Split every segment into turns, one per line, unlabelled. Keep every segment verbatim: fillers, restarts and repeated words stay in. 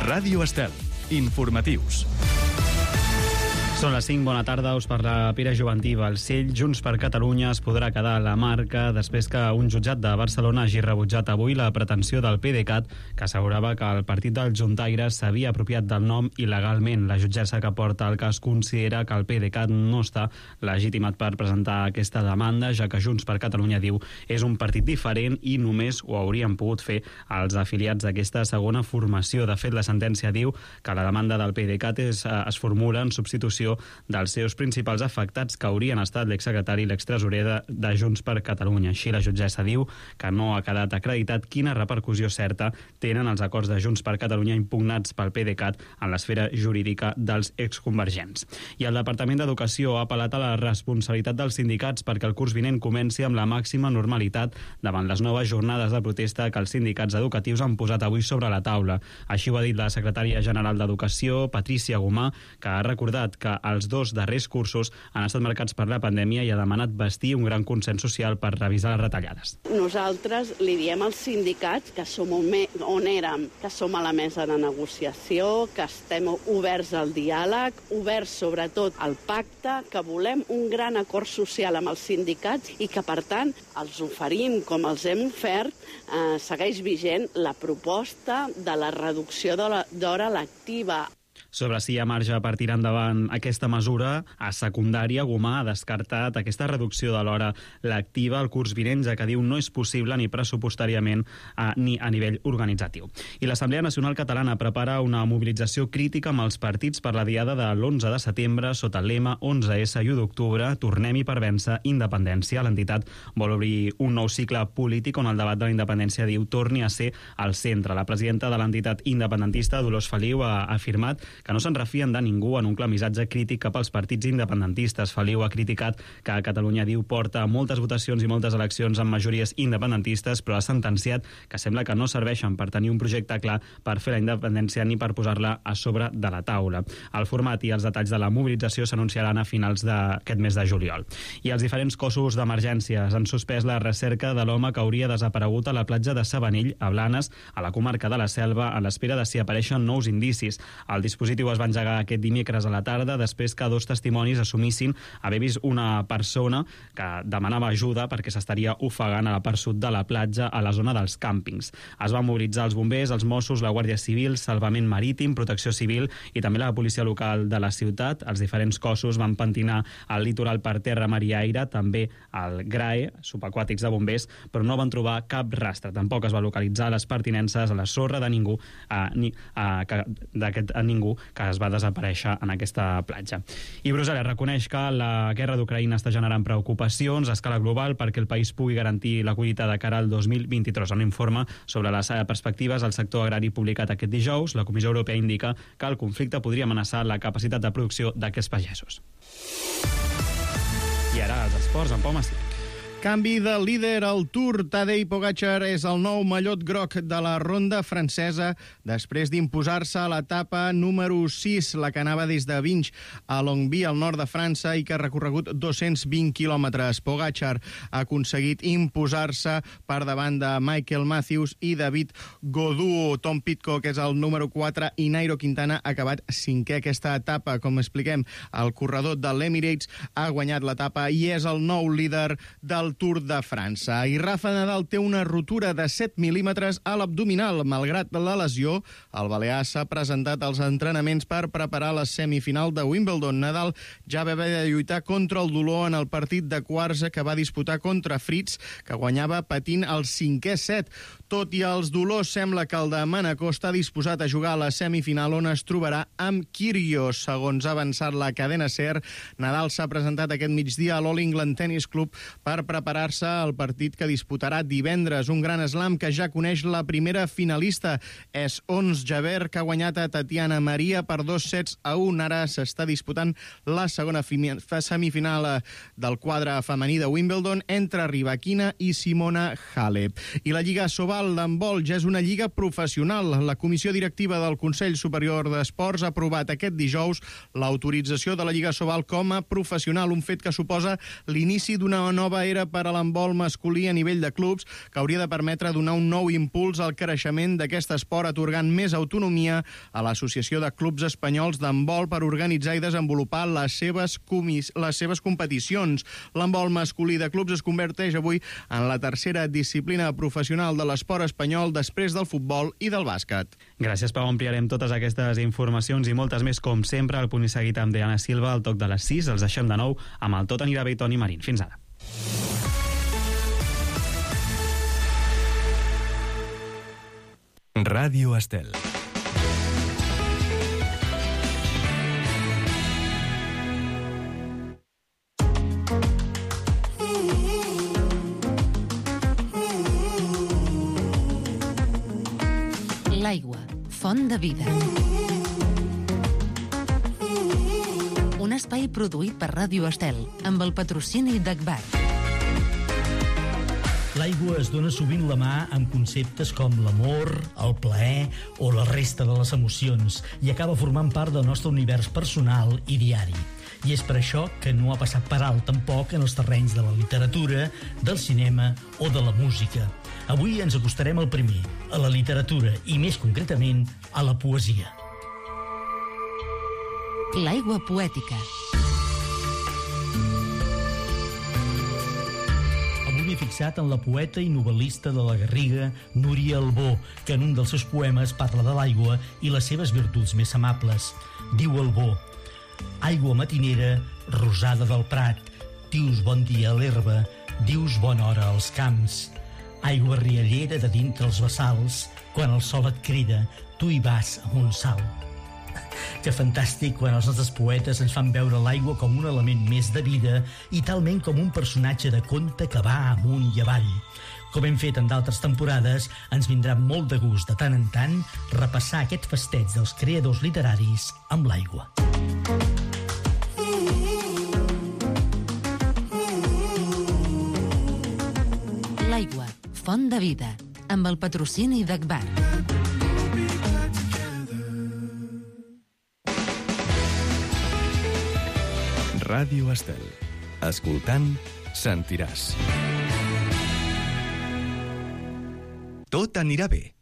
Ràdio Estel. Informatius.
Són les cinc, bona tarda, us parla Pere Jovantí. Balcell, Junts per Catalunya es podrà quedar a la marca després que un jutjat de Barcelona hagi rebutjat avui la pretensió del PDeCAT, que assegurava que el partit dels juntaires s'havia apropiat del nom il·legalment. La jutgessa que porta el cas considera que el PDeCAT no està legitimat per presentar aquesta demanda, ja que Junts per Catalunya, diu, és un partit diferent i només ho haurien pogut fer els afiliats d'aquesta segona formació. De fet, la sentència diu que la demanda del PDeCAT és, es formula en substitució dels seus principals afectats, que haurien estat l'exsecretari i l'extresorer de, de Junts per Catalunya. Així, la jutgessa diu que no ha quedat acreditat quina repercussió certa tenen els acords de Junts per Catalunya impugnats pel PDeCAT en l'esfera jurídica dels exconvergents. I el Departament d'Educació ha apel·lat a la responsabilitat dels sindicats perquè el curs vinent comenci amb la màxima normalitat davant les noves jornades de protesta que els sindicats educatius han posat avui sobre la taula. Així ho ha dit la secretària general d'Educació, Patrícia Gomà, que ha recordat que els dos darrers cursos han estat marcats per la pandèmia i ha demanat vestir un gran consens social per revisar les retallades.
Nosaltres li diem als sindicats que som on, me, on érem, que som a la mesa de negociació, que estem oberts al diàleg, oberts sobretot al pacte, que volem un gran acord social amb els sindicats i que, per tant, els oferim, com els hem ofert, eh, segueix vigent la proposta de la reducció d'hora lectiva.
Sobre si hi ha marge per tirar endavant aquesta mesura, a secundària, Gomà ha descartat aquesta reducció de l'hora lectiva al curs vinent, ja que diu no és possible ni pressupostàriament eh, ni a nivell organitzatiu. I l'Assemblea Nacional Catalana prepara una mobilització crítica amb els partits per la diada de l'onze de setembre sota el lema onze essa i u d'octubre, tornem-hi per vèncer independència. L'entitat vol obrir un nou cicle polític on el debat de la independència, diu, torni a ser al centre. La presidenta de l'entitat independentista, Dolors Feliu, ha afirmat que no se'n refien de ningú en un clar missatge crític cap als partits independentistes. Feliu ha criticat que Catalunya, diu, porta moltes votacions i moltes eleccions amb majories independentistes, però ha sentenciat que sembla que no serveixen per tenir un projecte clar per fer la independència ni per posar-la a sobre de la taula. El format i els detalls de la mobilització s'anunciaran a finals d'aquest mes de juliol. I els diferents cossos d'emergències han suspès la recerca de l'home que hauria desaparegut a la platja de Sabanell, a Blanes, a la comarca de la Selva, a l'espera de si apareixen nous indicis. El dispositiu El dispositiu es va engegar aquest dimecres a la tarda després que dos testimonis assumissin haver vist una persona que demanava ajuda perquè s'estaria ofegant a la part sud de la platja, a la zona dels càmpings. Es van mobilitzar els bombers, els Mossos, la Guàrdia Civil, Salvament Marítim, Protecció Civil i també la policia local de la ciutat. Els diferents cossos van pentinar el litoral per terra, mar i aire, també el GRAE, subaquàtics de bombers, però no van trobar cap rastre. Tampoc es va localitzar les pertinences a la sorra de ningú, a, ni, a, que, d'aquest a ningú que es va desaparèixer en aquesta platja. I Brussel·les reconeix que la guerra d'Ucraïna està generant preocupacions a escala global perquè el país pugui garantir la collita de cara al dos mil vint-i-tres. En un informe sobre les perspectives al sector agrari publicat aquest dijous, la Comissió Europea indica que el conflicte podria amenaçar la capacitat de producció d'aquests pagesos. I ara els esports, en Pau Massí.
Canvi de líder al Tour. Tadej Pogačar és el nou mallot groc de la ronda francesa després d'imposar-se a l'etapa número sis, la que anava des de Vinch a Longwy, al nord de França, i que ha recorregut dos-cents vint quilòmetres. Pogačar ha aconseguit imposar-se per davant de Michael Matthews i David Gaudu. Tom Pidcock és el número quatre i Nairo Quintana ha acabat cinquè aquesta etapa. Com expliquem, el corredor de l'Emirates ha guanyat l'etapa i és el nou líder del Tour de França. I Rafa Nadal té una rotura de set mil·límetres a l'abdominal. Malgrat la lesió, el balear s'ha presentat als entrenaments per preparar la semifinal de Wimbledon. Nadal ja va haver de lluitar contra el dolor en el partit de quarts que va disputar contra Fritz, que guanyava patint el cinquè set. Tot i els dolors, sembla que el de Manacor està disposat a jugar a la semifinal, on es trobarà amb Kyrgios. Segons ha avançat la cadena SER, Nadal s'ha presentat aquest migdia a l'All England Tennis Club per preparar-se al partit que disputarà divendres. Un gran slam que ja coneix la primera finalista. És Ons Jabeur, que ha guanyat a Tatiana Maria per dos sets a un. Ara s'està disputant la segona semifinal del quadre femení de Wimbledon entre Rybakina i Simona Halep. I la Lliga Sobal d'handbol ja és una lliga professional. La Comissió Directiva del Consell Superior d'Esports ha aprovat aquest dijous l'autorització de la Lliga Sobal com a professional, un fet que suposa l'inici d'una nova era per a l'handbol masculí a nivell de clubs, que hauria de permetre donar un nou impuls al creixement d'aquest esport, atorgant més autonomia a l'Associació de Clubs Espanyols d'Handbol per organitzar i desenvolupar les seves, comis, les seves competicions. L'handbol masculí de clubs es converteix avui en la tercera disciplina professional de l'esport espanyol després del futbol i del bàsquet.
Gràcies, Pau. Ampliarem totes aquestes informacions i moltes més, com sempre, al Punt i Seguit amb Diana Silva, al toc de les sis. Els deixem de nou amb el Tot anirà bé i Toni Marín. Fins ara.
Ràdio Estel.
L'aigua, font de vida. Un espai produït per Ràdio Estel, amb el patrocini d'Agbar.
L'aigua es dona sovint la mà amb conceptes com l'amor, el plaer o la resta de les emocions i acaba formant part del nostre univers personal i diari. I és per això que no ha passat per alt tampoc en els terrenys de la literatura, del cinema o de la música. Avui ens acostarem al primer, a la literatura i, més concretament, a la poesia.
L'aigua poètica.
Avui m'he fixat en la poeta i novel·lista de la Garriga, Núria Albó, que en un dels seus poemes parla de l'aigua i les seves virtuts més amables. Diu Albó: aigua matinera, rosada del prat, dius bon dia a l'herba, dius bona hora als camps. Aigua riallera de dintre els bassals, quan el sol et crida, tu hi vas amb un salt. Que fantàstic quan els nostres poetes ens fan veure l'aigua com un element més de vida i talment com un personatge de conte que va amunt i avall. Com hem fet en d'altres temporades, ens vindrà molt de gust de tant en tant repassar aquest festeig dels creadors literaris amb l'aigua.
L'aigua, font de vida, amb el patrocini d'Agbar.
Ràdio Estel. Escoltant, sentiràs. Tot anirà bé,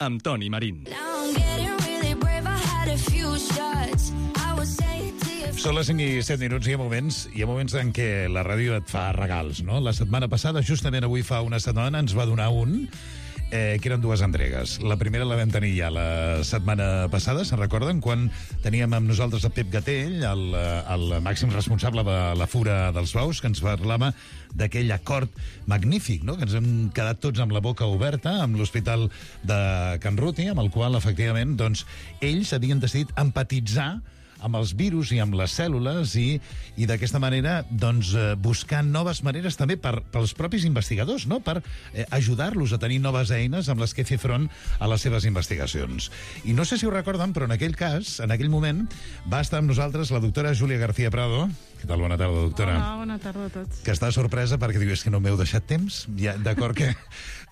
amb Toni Marín.
Són les cinc i set minuts i hi ha moments, hi ha moments en què la ràdio et fa regals, no? La setmana passada, justament avui fa una setmana, ens va donar un, eh, que eren dues entregues. La primera la vam tenir ja la setmana passada, se'n recorden? Quan teníem amb nosaltres el Pep Gatell, el, el màxim responsable de la Fura dels Baus, que ens parlava d'aquell acord magnífic, no? Que ens hem quedat tots amb la boca oberta amb l'Hospital de Can Ruti, amb el qual, efectivament, doncs, ells havien decidit empatitzar amb els virus i amb les cèl·lules i, i d'aquesta manera doncs, eh, buscar noves maneres també per, pels propis investigadors, no? Per eh, ajudar-los a tenir noves eines amb les que fer front a les seves investigacions. I no sé si ho recorden, però en aquell cas, en aquell moment, va estar amb nosaltres la doctora Júlia García Prado. Què tal? Bona tarda, doctora.
Hola, bona tarda a tots.
Que està sorpresa perquè diu, és que no m'heu deixat temps. Ja, d'acord que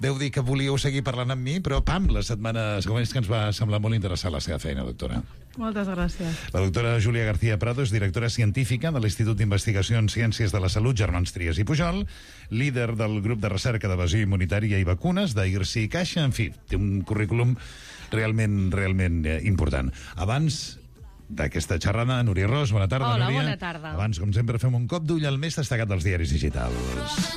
deu dir que volíeu seguir parlant amb mi, però pam, la setmana següent que ens va semblar molt interessant la seva feina, doctora.
Moltes gràcies.
La doctora Júlia García Prado és directora científica de l'Institut d'Investigació en Ciències de la Salut Germans Trias i Pujol, líder del grup de recerca d'evasió immunitària i vacunes d'I R C i Caixa. En fi, té un currículum realment, realment eh, important. Abans d'aquesta xerrada, Núria Ros, bona tarda,
Hola,
Núria.
bona tarda.
Abans, com sempre, fem un cop d'ull al més destacat dels diaris digitals.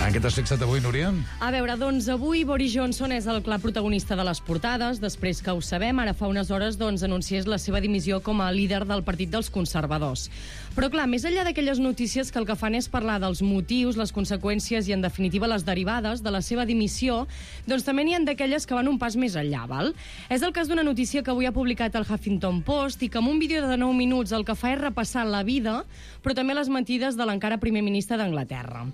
En què t'has fixat avui, Núria?
A veure, doncs avui Boris Johnson és el clar protagonista de les portades, després que ho sabem, ara fa unes hores doncs, anunciés la seva dimissió com a líder del Partit dels Conservadors. Però clar, més enllà d'aquelles notícies que el que fan és parlar dels motius, les conseqüències i en definitiva les derivades de la seva dimissió, doncs també n'hi ha d'aquelles que van un pas més enllà, val? És el cas d'una notícia que avui ha publicat el Huffington Post i que en un vídeo de nou minuts el que fa és repassar la vida, però també les mentides de l'encara primer ministre d'Anglaterra.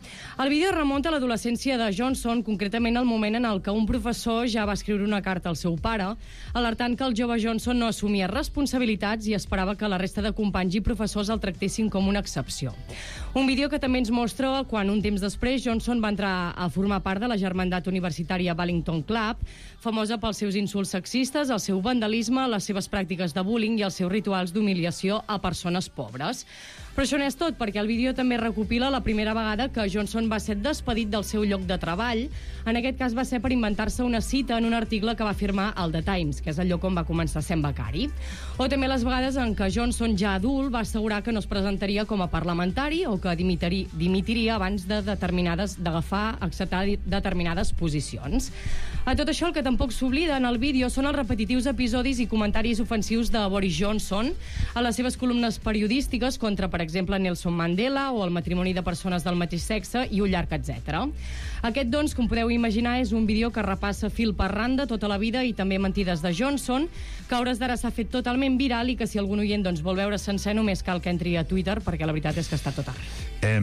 El vídeo remunta a l'adolescència de Johnson, concretament el moment en el que un professor ja va escriure una carta al seu pare, alertant que el jove Johnson no assumia responsabilitats i esperava que la resta de companys i professors el tractessin com una excepció. Un vídeo que també ens mostra quan un temps després Johnson va entrar a formar part de la germandat universitària Wellington Club, famosa pels seus insults sexistes, el seu vandalisme, les seves pràctiques de bullying i els seus rituals d'humiliació a persones pobres. Però això no és tot, perquè el vídeo també recopila la primera vegada que Johnson va ser despedit del seu lloc de treball. En aquest cas va ser per inventar-se una cita en un article que va firmar al The Times, que és el lloc on va començar sent becari. O també les vegades en què Johnson, ja adult, va assegurar que no es presentaria com a parlamentari o que dimitiria, dimitiria abans de determinades d'agafar, acceptar determinades posicions. A tot això, el que tampoc s'oblida en el vídeo són els repetitius episodis i comentaris ofensius de Boris Johnson a les seves columnes periodístiques contra, per exemple, Nelson Mandela o el matrimoni de persones del mateix sexe i un llarg etcètera. Aquest, doncs, com podeu imaginar, és un vídeo que repassa fil per randa tota la vida i també mentides de Johnson, que a hores d'ara s'ha fet totalment viral i que si algun oient doncs, vol veure sencer només cal que entri a Twitter, perquè la veritat és que està tot arreu.
Eh,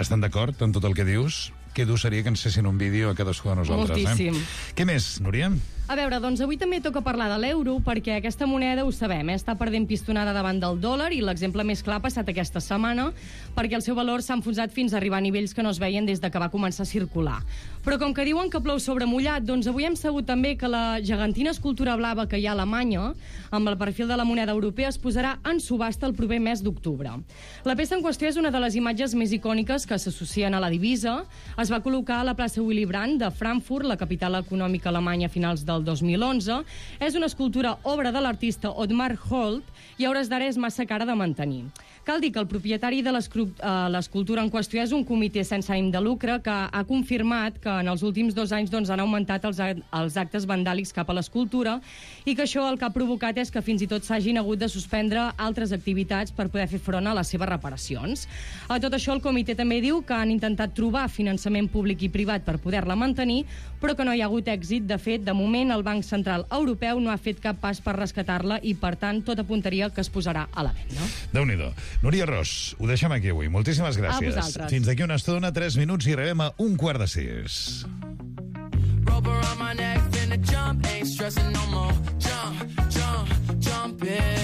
estan d'acord en tot el que dius? Que dur seria que ens fessin un vídeo a cadascú de nosaltres.
Moltíssim.
Eh? Què més, Núria?
A veure, doncs avui també toca parlar de l'euro, perquè aquesta moneda, ho sabem, eh, està perdent pistonada davant del dòlar i l'exemple més clar ha passat aquesta setmana, perquè el seu valor s'ha enfonsat fins a arribar a nivells que no es veien des de que va començar a circular. Però com que diuen que plou sobre mullat, doncs avui hem sabut també que la gegantina escultura blava que hi ha a Alemanya, amb el perfil de la moneda europea, es posarà en subhasta el proper mes d'octubre. La peça en qüestió és una de les imatges més icòniques que s'associen a la divisa. Es va col·locar a la plaça Willy Brandt de Frankfurt, la capital econòmica alemanya, a finals del dos mil onze. És una escultura obra de l'artista Otmar Holt i a hores d'ara és massa cara de mantenir. Cal dir que el propietari de l'escultura en qüestió és un comitè sense ànim de lucre que ha confirmat que en els últims dos anys doncs, han augmentat els, els actes vandàlics cap a l'escultura i que això el que ha provocat és que fins i tot s'hagin hagut de suspendre altres activitats per poder fer front a les seves reparacions. A tot això, el comitè també diu que han intentat trobar finançament públic i privat per poder-la mantenir, però que no hi ha hagut èxit. De fet, de moment, el Banc Central Europeu no ha fet cap pas per rescatar-la i, per tant, tot apuntaria que es posarà a la venda.
Déu-n'hi-do. Núria Ros, ho deixem aquí avui. Moltíssimes gràcies.
A vosaltres.
Fins d'aquí una estona, tres minuts, i arribem a un quart de sis.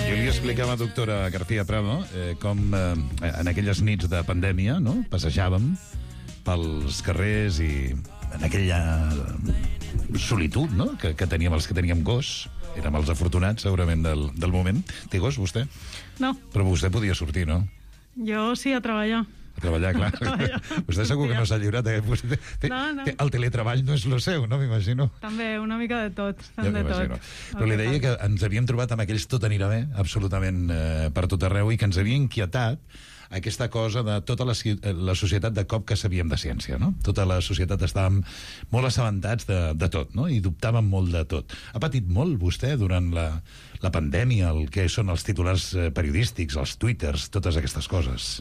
Jo li explicava, doctora García Prado, eh, com eh, en aquelles nits de pandèmia, no?, passejàvem pels carrers i en aquella solitud, no?, que, que teníem els que teníem gos. Érem els afortunats, segurament, del, del moment. Té gos, vostè?
No.
Però vostè podia sortir, no?
Jo sí, a treballar.
A treballar, clar. A treballar. Vostè segur que no s'ha lliurat. Eh? Vostè,
no, no.
El teletreball no és lo seu, no m'imagino?
També, una mica de tot.
Ja
de tot.
Però li deia que ens havíem trobat amb aquells tot anirà bé, absolutament eh, per tot arreu, i que ens havia inquietat aquesta cosa de tota la, la societat de cop que sabíem de ciència, no? Tota la societat estàvem molt assabentats de, de tot, no? I dubtàvem molt de tot. Ha patit molt vostè durant la, la pandèmia, el que són els titulars periodístics, els twitters, totes aquestes coses?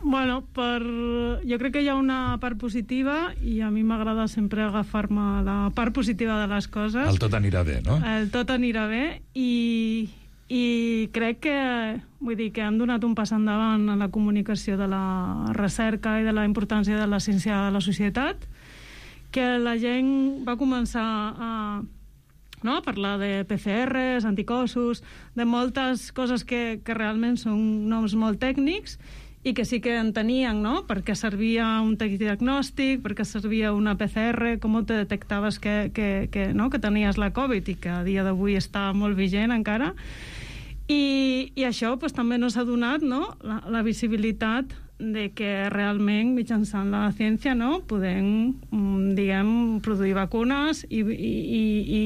Bueno, per... jo crec que hi ha una part positiva i a mi m'agrada sempre agafar-me la part positiva de les coses.
El tot anirà bé, no?
El tot anirà bé i... i crec que, vull dir, que han donat un pas endavant en la comunicació de la recerca i de la importància de la ciència a la societat, que la gent va començar a, no, a parlar de P C Rs, anticossos, de moltes coses que, que realment són noms molt tècnics i que sí que entenien, no?, per què servia un diagnòstic, per què servia una P C R, com te detectaves que, que, que, no?, que tenies la Covid i que a dia d'avui està molt vigent encara. I, i això pues, també no s'ha donat, no?, la, la visibilitat de que realment mitjançant la ciència, no?, podem, diguem, produir vacunes i, i, i,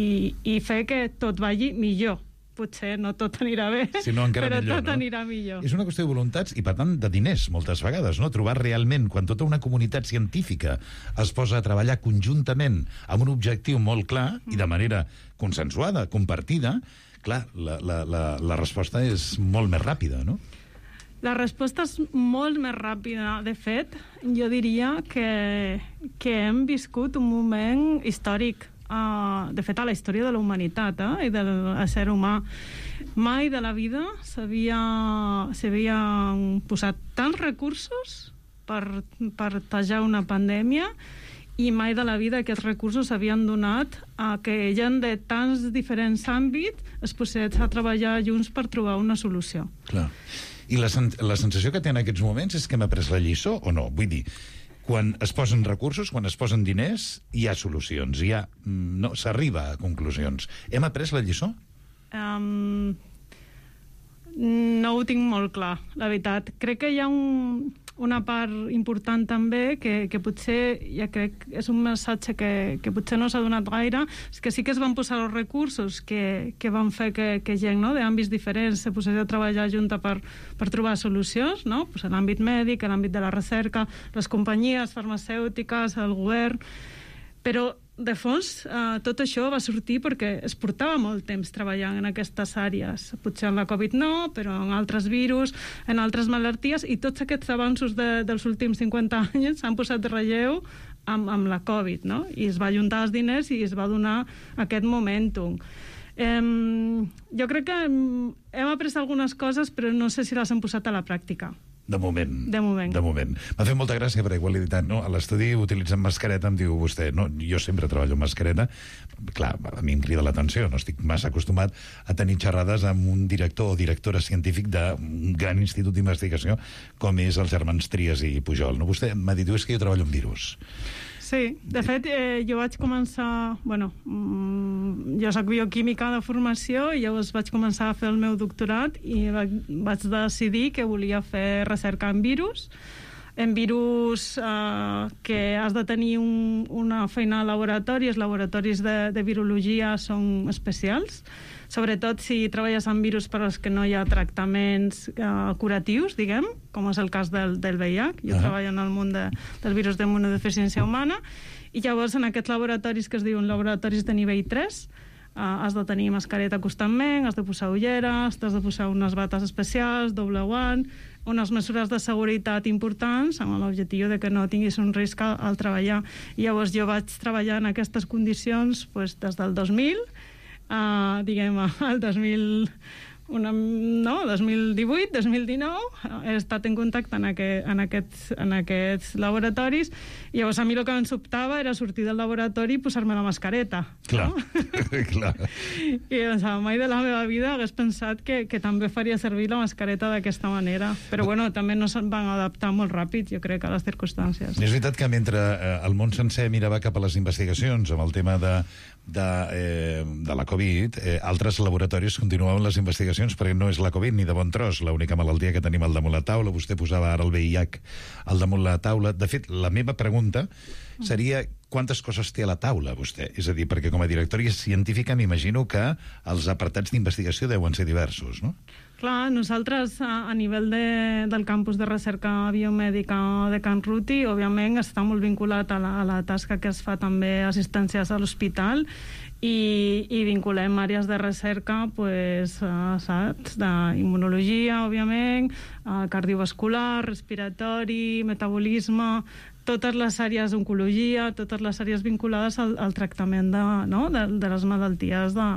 i fer que tot vagi millor. Potser no tot anirà bé,
si no,
però
millor,
tot
no?
anirà millor.
És una qüestió de voluntats i, per tant, de diners, moltes vegades, no? Trobar realment, quan tota una comunitat científica es posa a treballar conjuntament amb un objectiu molt clar i de manera consensuada, compartida, clar, la, la, la, la resposta és molt més ràpida, no?
La resposta és molt més ràpida. De fet, jo diria que, que hem viscut un moment històric. Uh, de fet, a la història de la humanitat eh, i del ser humà. Mai de la vida s'havien posat tants recursos per, per tajar una pandèmia i mai de la vida aquests recursos s'havien donat a que gent de tants diferents àmbits es posés a treballar junts per trobar una solució.
Clar. I la, sen la sensació que té en aquests moments és que hem après la lliçó o no? Vull dir, quan es posen recursos, quan es posen diners, hi ha solucions, hi ha... no, s'arriba a conclusions. Hem après la lliçó?
Um, no ho tinc molt clar, la veritat. Crec que hi ha un, una part important també que, que potser, ja crec, és un missatge que, que potser no s'ha donat gaire, és que sí que es van posar els recursos que, que van fer que, que gent, no?, d'àmbits diferents se posés a treballar junta per, per trobar solucions, no?, pues en l'àmbit mèdic, en l'àmbit de la recerca, les companyies farmacèutiques, el govern, però de fons, eh, tot això va sortir perquè es portava molt temps treballant en aquestes àrees. Potser en la Covid no, però en altres virus, en altres malalties, i tots aquests avanços de, dels últims cinquanta anys s'han posat de relleu amb, amb la Covid, no? I es va ajuntar els diners i es va donar aquest momentum. Eh, jo crec que hem après algunes coses, però no sé si les hem posat a la pràctica.
De moment.
De moment.
De moment. M'ha fet molta gràcia, perquè igual he dit, no, a l'estudi utilitzen mascareta, em diu vostè, no, jo sempre treballo amb mascareta, clar, a mi em crida l'atenció, no estic massa acostumat a tenir xerrades amb un director o directora científic d'un gran institut d'investigació com és els germans Trias i Pujol. No? Vostè m'ha dit, és que jo treballo amb virus.
Sí, de fet, eh, jo vaig començar... Bueno, mmm, jo soc bioquímica de formació i llavors vaig començar a fer el meu doctorat i vaig, vaig decidir que volia fer recerca en virus, en virus eh, que has de tenir un, una feina a laboratori. Els laboratoris de, de virologia són especials, sobretot si treballes amb virus per als que no hi ha tractaments eh, curatius, diguem, com és el cas del, del V I H. Jo uh-huh. treballo en el món de, del virus d'immunodeficiència humana, i llavors en aquests laboratoris que es diuen laboratoris de nivell tres, eh, has de tenir mascareta constantment, has de posar ulleres, has de posar unes bates especials, doble guant, unes mesures de seguretat importants amb l'objectiu de que no tinguis un risc al, al treballar. I llavors jo vaig treballar en aquestes condicions pues, des del dos mil, Uh, diguem, al dos mil, una, no, dos mil divuit, dos mil dinou, he estat en contacte en, aquest, en, aquests, en aquests laboratoris, i llavors a mi el que em sobtava era sortir del laboratori i posar-me la mascareta.
Clar,
no?
clar.
I doncs, mai de la meva vida hagués pensat que, que també faria servir la mascareta d'aquesta manera. Però bueno, també no se'n van adaptar molt ràpid, jo crec, a les circumstàncies.
És veritat que mentre eh, el món sencer mirava cap a les investigacions amb el tema de de, eh, de la Covid, eh, altres laboratoris continuaven les investigacions, perquè no és la Covid ni de bon tros l'única malaltia que tenim al damunt la taula. Vostè posava ara el V I H al damunt la taula. De fet, la meva pregunta seria quantes coses té a la taula vostè? És a dir, perquè com a directora científica m'imagino que els apartats d'investigació deuen ser diversos, no?
Clar, nosaltres a, a nivell de, del campus de recerca biomèdica de Can Ruti, òbviament està molt vinculat a la, a la tasca que es fa també assistències a l'hospital, i, i vinculem àrees de recerca, pues, uh, saps, d'immunologia, òbviament, uh, cardiovascular, respiratori, metabolisme, totes les àrees d'oncologia, totes les àrees vinculades al, al tractament de, no? de, de les malalties de,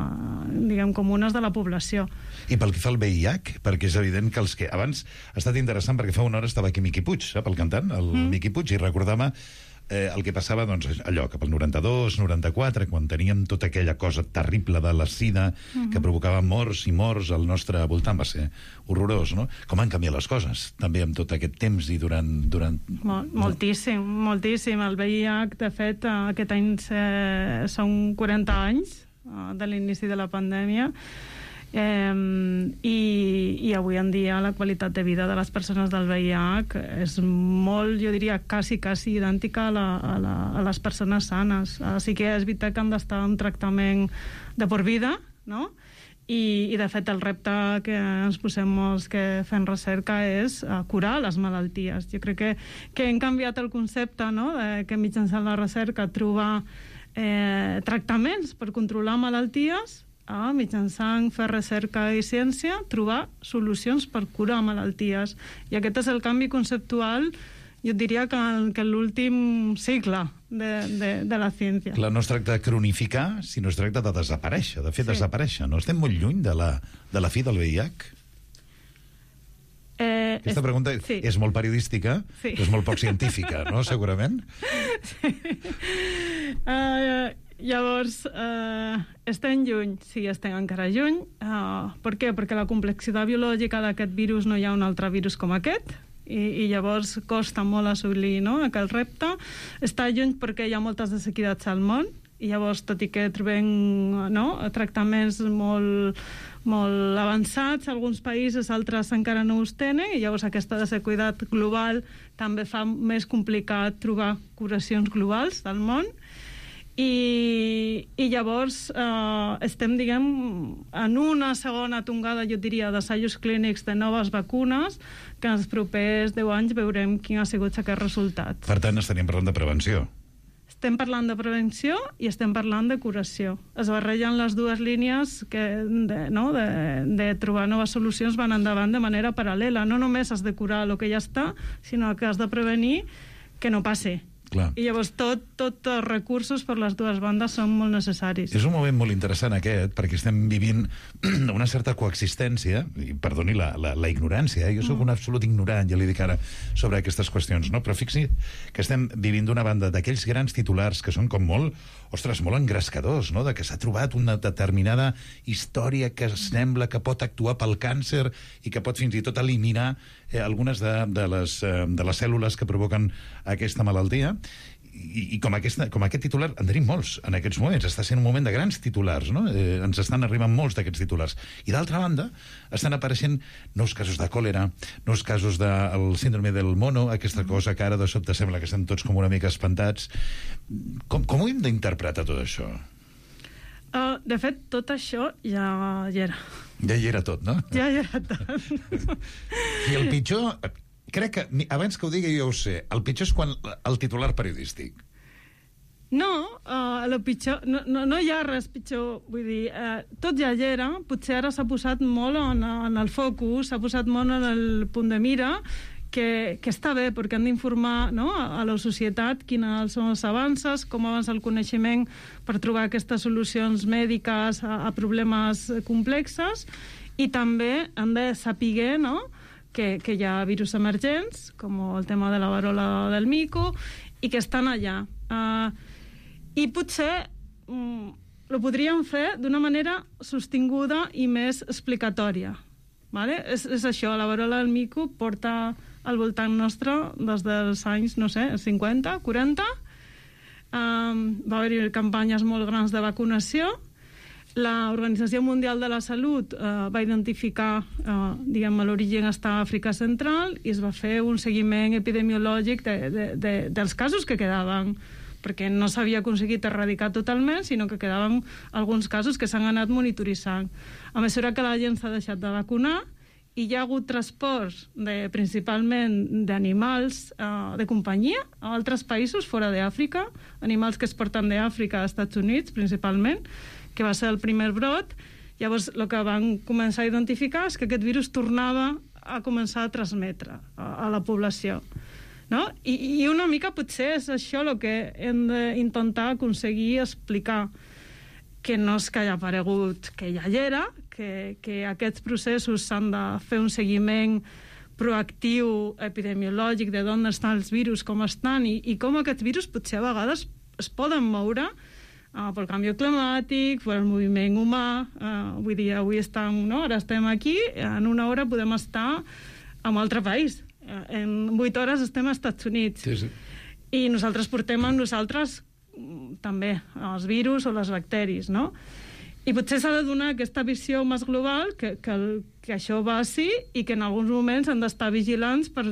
diguem, comunes de la població.
I pel que fa al V I H, perquè és evident que els que... Abans ha estat interessant perquè fa una hora estava aquí Miqui Puig, sap, el cantant, el mm. Miqui Puig, i recordava eh, el que passava, doncs, allò, cap al noranta-dos, noranta-quatre, quan teníem tota aquella cosa terrible de la sida mm-hmm. que provocava morts i morts al nostre voltant. Va ser horrorós, no? Com han canviat les coses, també amb tot aquest temps i durant... durant...
Mol, moltíssim, moltíssim. El V I H, de fet, aquest any eh, són quaranta anys eh, de l'inici de la pandèmia, Eh, i, i avui en dia la qualitat de vida de les persones del V I H és molt, jo diria, quasi, quasi idèntica a, la, a, la, a les persones sanes. Així que és veritat que han d'estar en tractament de por vida, no? I, i de fet el repte que ens posem molts que fem recerca és uh, curar les malalties. Jo crec que, que hem canviat el concepte, no?, de que mitjançant la recerca trobar eh, tractaments per controlar malalties, a mitjançant fer recerca i ciència, trobar solucions per curar malalties. I aquest és el canvi conceptual, jo diria que, que l'últim cicle de, de, de la ciència.
Clar, no es tracta de cronificar, sinó es tracta de desaparèixer, de fer sí. desaparèixer. No estem molt lluny de la, de la fi del V I H?
Eh,
Aquesta pregunta
sí.
és molt periodística,
sí.
però és molt poc científica, no?, segurament?
Sí. Uh, llavors, eh, estem lluny, sí, estem encara lluny. Uh, per què? Perquè la complexitat biològica d'aquest virus no hi ha un altre virus com aquest, i, i llavors costa molt assolir, no?, aquest repte. Està lluny perquè hi ha moltes desequitats al món, i llavors, tot i que trobem, no?, tractaments molt, molt avançats, alguns països, altres encara no els tenen, i llavors aquesta desequitat global també fa més complicat trobar curacions globals del món. I, i llavors eh, estem, diguem, en una segona tongada, jo diria, d'assajos clínics de noves vacunes, que en els propers deu anys veurem quin ha sigut aquest resultat.
Per tant, estaríem parlant de prevenció.
Estem parlant de prevenció i estem parlant de curació. Es barregen les dues línies que, de, no, de, de trobar noves solucions, van endavant de manera paral·lela. No només has de curar el que ja està, sinó que has de prevenir que no passi.
Clar.
I llavors tot, tot els recursos per les dues bandes són molt necessaris.
És un moment molt interessant aquest, perquè estem vivint una certa coexistència, i perdoni la, la, la ignorància, eh? Jo sóc un absolut ignorant, ja li dic ara, sobre aquestes qüestions, no? Però fixi que estem vivint d'una banda d'aquells grans titulars que són com molt, ostres, molt engrescadors, no?, de que s'ha trobat una determinada història que sembla que pot actuar pel càncer i que pot fins i tot eliminar eh, algunes de, de, les, eh, de les cèl·lules que provoquen aquesta malaltia. I, i com, aquesta, com aquest titular en tenim molts en aquests moments. Està sent un moment de grans titulars, no? Eh, ens estan arribant molts d'aquests titulars. I d'altra banda, estan apareixent nous casos de còlera, nous casos del síndrome del mono, aquesta cosa que ara de sobte sembla que estem tots com una mica espantats. Com, com ho hem d'interpretar tot això?
Uh, de fet, tot això ja hi era.
Ja hi era tot, no?
Ja hi era tot.
I el pitjor... Crec que, abans que ho digui jo ho sé, el pitjor és quan el titular periodístic.
No, uh, el pitjor, no, no, no hi ha res pitjor, vull dir, uh, tot ja hi era, potser ara s'ha posat molt en, en el focus, s'ha posat molt en el punt de mira, que, que està bé, perquè han d'informar, no?, a, a la societat quines són els avanços, com avança el coneixement per trobar aquestes solucions mèdiques a, a problemes complexes, i també han de saber, no?, Que, que hi ha virus emergents, com el tema de la varola del mico, i que estan allà. Uh, I potser um, ho podríem fer d'una manera sostinguda i més explicatòria. Vale? És, és això, la varola del mico porta al voltant nostre des dels anys, no sé, cinquanta, quaranta. Um, va haver-hi campanyes molt grans de vacunació. La Organització Mundial de la Salut eh, va identificar, eh, diguem, l'origen està a Àfrica Central, i es va fer un seguiment epidemiològic de, de, de, dels casos que quedaven, perquè no s'havia aconseguit erradicar totalment, sinó que quedaven alguns casos que s'han anat monitoritzant. A mesura que la gent s'ha deixat de vacunar, i hi ha hagut transports de, principalment d'animals eh, de companyia a altres països fora d'Àfrica, animals que es porten d'Àfrica a Estats Units, principalment, que va ser el primer brot. Llavors, el que van començar a identificar és que aquest virus tornava a començar a transmetre a, a la població. No? I, I una mica potser és això el que hem d'intentar aconseguir explicar, que no és que hagi aparegut, que ja hi era, que, que aquests processos s'han de fer un seguiment proactiu epidemiològic de d'on estan els virus, com estan, i, i com aquests virus potser a vegades es poden moure Uh, pel canvi climàtic, pel moviment humà. Uh, vull dir, avui estem, no? Ara estem aquí, en una hora podem estar en un altre país. Uh, en vuit hores estem als Estats Units.
Sí, sí.
I nosaltres portem amb nosaltres també els virus o les bacteris, no? I potser s'ha de donar aquesta visió més global, que, que, el, que això va així, i que en alguns moments han d'estar vigilants per,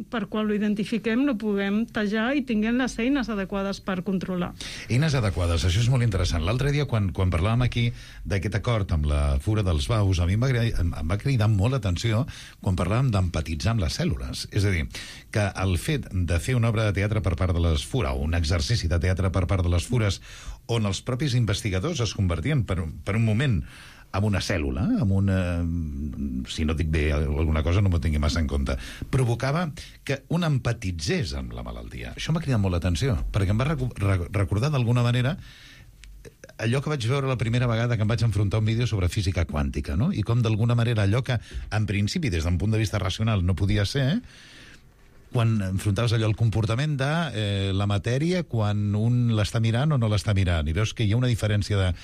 per quan ho identifiquem no puguem tallar i tinguem les eines adequades per controlar.
Eines adequades, això és molt interessant. L'altre dia, quan, quan parlàvem aquí d'aquest acord amb la fura dels baus, a mi em va, em va cridar molt l'atenció quan parlàvem d'empatitzar amb les cèl·lules. És a dir, que el fet de fer una obra de teatre per part de les fures, o un exercici de teatre per part de les fures, on els propis investigadors es convertien per, per un moment en una cèl·lula, amb una... si no dic bé alguna cosa no m'ho tingui massa en compte, provocava que un empatitzés amb la malaltia. Això m'ha cridat molt l'atenció, perquè em va recordar d'alguna manera allò que vaig veure la primera vegada que em vaig enfrontar a un vídeo sobre física quàntica, no? I com d'alguna manera allò que en principi des d'un punt de vista racional no podia ser, quan enfrontaves allò el comportament de eh, la matèria quan un l'està mirant o no l'està mirant, i veus que hi ha una diferència de...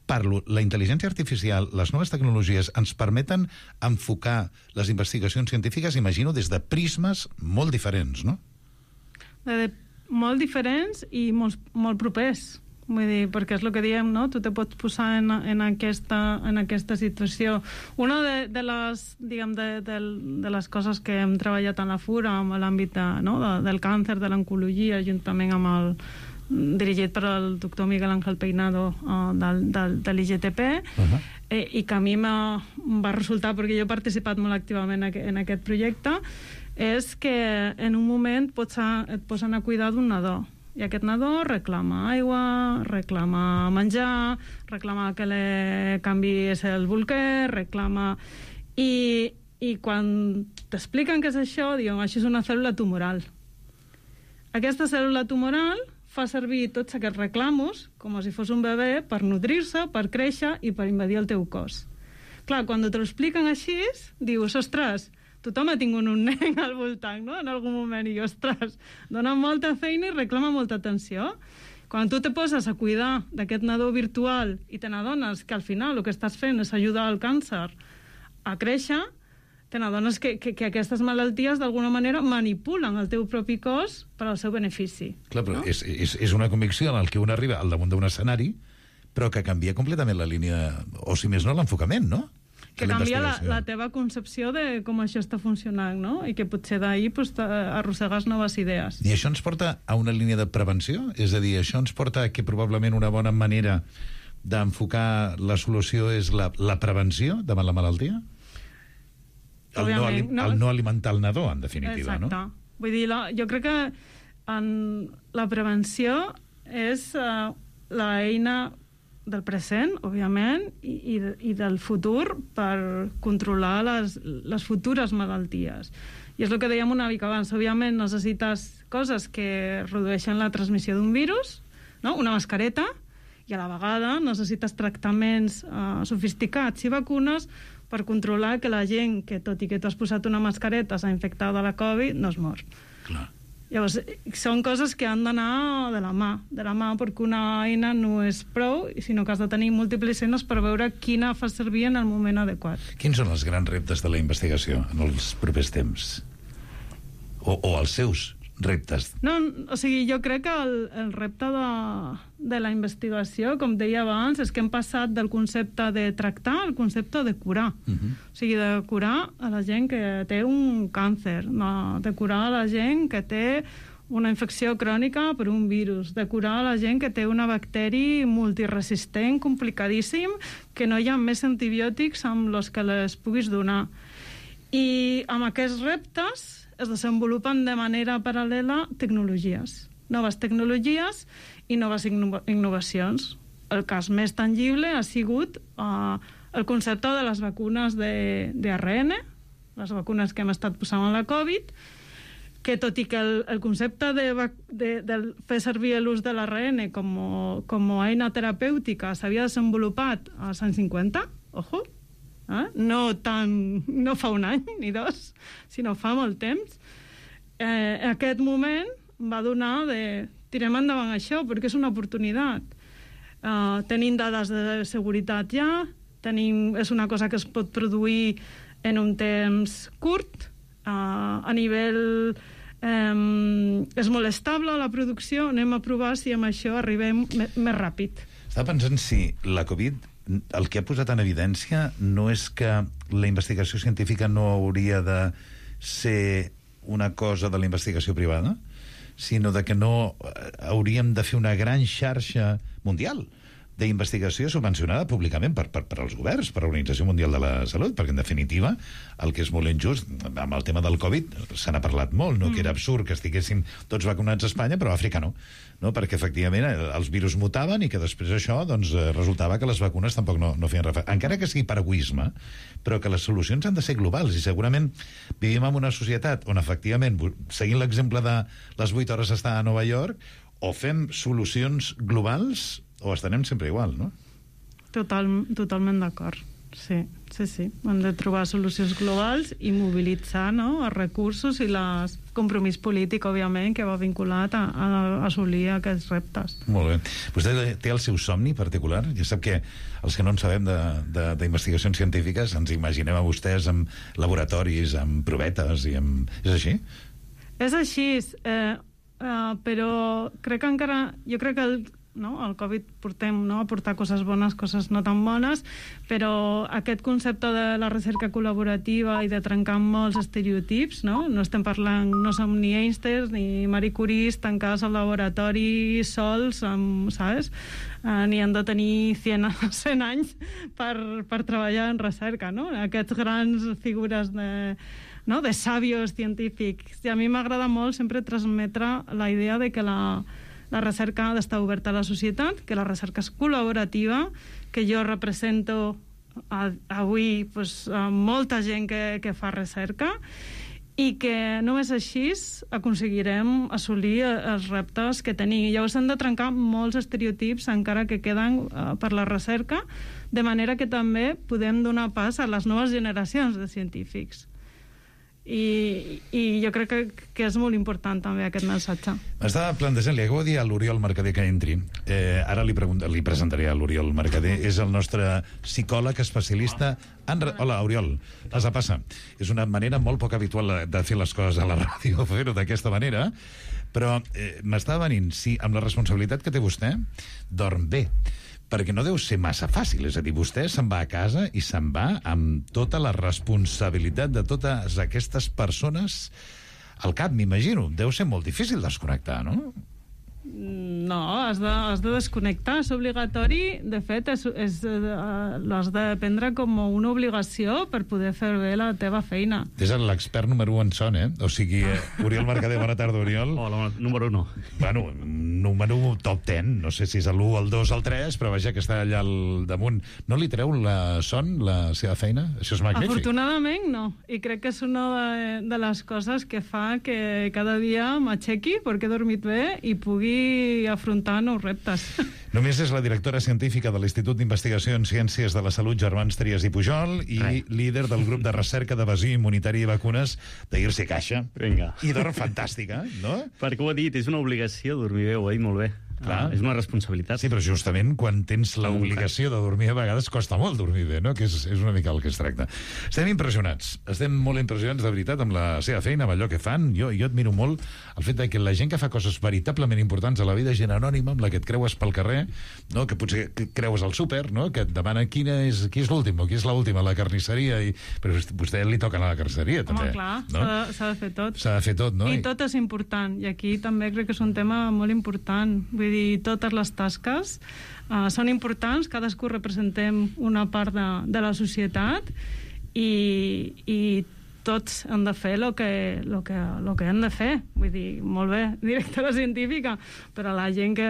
Parlo, la intel·ligència artificial, les noves tecnologies ens permeten enfocar les investigacions científiques, imagino, des de prismes molt diferents, no?
De, molt diferents i molt, molt propers. Vull dir, perquè és el que diem, no? Tu te pots posar en, en, aquesta, en aquesta situació. Una de, de, les, diguem, de, de, de les coses que hem treballat en la Fura, amb l'àmbit de, no? de, del càncer, de l'oncologia, juntament amb el dirigit per el doctor Miguel Ángel Peinado uh, del, del, de l'I G T P, uh-huh. eh, i que a mi va resultar, perquè jo he participat molt activament en aquest projecte, és que en un moment pots a, et posen a cuidar d'un nadó, i aquest nadó reclama aigua, reclama menjar, reclama que li canvies el bolquer, reclama... I, i quan t'expliquen què és això, diuen, això és una cèl·lula tumoral. Aquesta cèl·lula tumoral fa servir tots aquests reclamos com si fos un bebè per nodrir-se, per créixer i per invadir el teu cos. Clar, quan te l'expliquen així, dius, ostres, tothom ha tingut un nen al voltant, no?, en algun moment, i ostres, dona molta feina i reclama molta atenció. Quan tu te poses a cuidar d'aquest nadó virtual i te n'adones que al final el que estàs fent és ajudar el càncer a créixer, te n'adones que, que, que aquestes malalties d'alguna manera manipulen el teu propi cos per al seu benefici.
Clar, però
no?
és, és, és una convicció en el que un arriba al damunt d'un escenari, però que canvia completament la línia, o si més no, l'enfocament, no?
Que canvia la, la teva concepció de com això està funcionant, no? I que potser d'ahir pues, arrossegues noves idees.
I això ens porta a una línia de prevenció? És a dir, això ens porta a que probablement una bona manera d'enfocar la solució és la, la prevenció davant la malaltia? El no, no, el no alimentar el nadó, en definitiva,
exacte.
No?
Vull dir, la, jo crec que en la prevenció és uh, l'eina del present, òbviament, i, i, i del futur per controlar les, les futures malalties. I és el que dèiem una mica abans. Òbviament necessites coses que redueixen la transmissió d'un virus, no? Una mascareta, i a la vegada necessites tractaments uh, sofisticats i vacunes per controlar que la gent que, tot i que tu has posat una mascareta, s'ha infectat de la Covid, no es mor.
Clar.
Llavors, són coses que han d'anar de la mà, de la mà, perquè una eina no és prou, sinó que has de tenir múltiples eines per veure quina fa servir en el moment adequat.
Quins són els grans reptes de la investigació en els propers temps? O, o els seus reptes?
No, o sigui, jo crec que el, el repte de, de la investigació, com deia abans, és que hem passat del concepte de tractar al concepte de curar. Uh-huh. O sigui, de curar a la gent que té un càncer, no, de curar a la gent que té una infecció crònica per un virus, de curar a la gent que té una bacteri multiresistent, complicadíssim, que no hi ha més antibiòtics amb els que les puguis donar. I amb aquests reptes es desenvolupen de manera paral·lela tecnologies, noves tecnologies i noves innovacions. El cas més tangible ha sigut uh, el concepte de les vacunes de, de A R N, les vacunes que hem estat posant a la Covid, que tot i que el, el concepte de, de, de fer servir l'ús de l'A R N com, com a eina terapèutica s'havia desenvolupat als anys cinquanta, ojo, Eh? No, tan, no fa un any ni dos, sinó fa molt temps. Eh, aquest moment va donar de tirem endavant això perquè és una oportunitat. Eh, tenim dades de seguretat ja, tenim, és una cosa que es pot produir en un temps curt, eh, a nivell eh, és molt estable la producció, anem a provar si amb això arribem més ràpid.
Estava pensant si la Covid el que ha posat en evidència no és que la investigació científica no hauria de ser una cosa de la investigació privada, sinó de que no hauríem de fer una gran xarxa mundial d'investigació subvencionada públicament per, per, per als governs, per l'Organització Mundial de la Salut, perquè en definitiva el que és molt injust, amb el tema del Covid se n'ha parlat molt, no? Mm. Que era absurd que estiguessin tots vacunats a Espanya però a Àfrica no, no? Perquè efectivament els virus mutaven i que després això doncs, resultava que les vacunes tampoc no, no feien referència, encara que sigui per egoisme, però que les solucions han de ser globals i segurament vivim en una societat on efectivament, seguint l'exemple de les vuit hores estar a Nova York, o fem solucions globals o estarem sempre igual, no?
Total, totalment d'acord. Sí, sí, sí. Hem de trobar solucions globals i mobilitzar, no?, els recursos i el compromís polític, òbviament, que va vinculat a, a assolir aquests reptes.
Molt bé. Vostè té el seu somni particular? Ja sap que els que no en sabem d'investigacions científiques ens imaginem a vostès amb laboratoris, amb provetes i amb... És així?
És així, eh, eh, però crec que encara... Jo crec que el, no, el Covid portem, no, a portar coses bones, coses no tan bones, però aquest concepte de la recerca col·laborativa i de trencar molts estereotips, no? No estem parlant, no som ni Einstein ni Marie Curie tancades al laboratori sols, amb, saps? Uh, ni han de tenir cent, cent anys per, per treballar en recerca, no? Aquests grans figures de... no? de sàvios científics. I a mi m'agrada molt sempre transmetre la idea de que la, la recerca ha d'estar oberta a la societat, que la recerca és col·laborativa, que jo represento a, avui pues, a molta gent que, que fa recerca i que només així aconseguirem assolir els reptes que tenim. Llavors hem de trencar molts estereotips encara que queden uh, per la recerca, de manera que també podem donar pas a les noves generacions de científics. I, i jo crec que, que és molt important també aquest missatge.
M'estava plantejant, li acabo de dir a l'Oriol Mercader que entri. Eh, ara li, li presentaré a l'Oriol Mercader. És el nostre psicòleg especialista en... Hola, Oriol, passa, passa. És una manera molt poc habitual de fer les coses a la ràdio, fer-ho d'aquesta manera, però eh, m'estava venint, sí, amb la responsabilitat que té vostè, dorm bé, perquè no deu ser massa fàcil, és a dir, vostè se'n va a casa i se'n va amb tota la responsabilitat de totes aquestes persones al cap, m'imagino. Deu ser molt difícil desconnectar, no?
No, has de, has de desconnectar, és obligatori. De fet, és, és, l'has de prendre com una obligació per poder fer bé la teva feina.
És l'expert número un en son, eh? O sigui, eh, Oriol Mercader, bona tarda, Oriol.
Hola, número uno.
Bueno, número top ten, no sé si és l'u, el dos, el tres, però vaja, que està allà al damunt. No li treu la son, la seva feina? Això és magnífic.
Afortunadament, no. I crec que és una de, de les coses que fa que cada dia m'aixequi perquè he dormit bé i pugui afrontar nous reptes.
Només és la directora científica de l'Institut d'Investigació en Ciències de la Salut Germans Trias i Pujol i Rai. líder del grup de recerca d'evasió immunitària i vacunes d'Irse Caixa.
Vinga.
I dorm fantàstica, no?
Perquè ho ha dit, és una obligació dormir bé, ho ha dit molt bé. Clar. Ah, és una responsabilitat.
Sí, però justament quan tens l'obligació de dormir a vegades costa molt dormir bé, no? Que és, és una mica el que es tracta. Estem impressionats, estem molt impressionats de veritat amb la seva feina, amb allò que fan. Jo, jo admiro molt el fet de que la gent que fa coses veritablement importants a la vida, gent anònima, amb la que et creues pel carrer, no? Que potser creues al súper, no? Que et demana quina és, qui és l'últim o qui és l'última, la carnisseria, i... però a vostè li toca anar a la carnisseria, també.
Home, clar,
no?
s'ha de, de fer tot.
S'ha de fer tot, no?
I tot és important, i aquí també crec que és un tema molt important. Vull dir, totes les tasques uh, són importants, cadascú representem una part de, de la societat i, i tots han de fer el que, lo que, lo que han de fer. Vull dir, molt bé, directora científica, però la gent que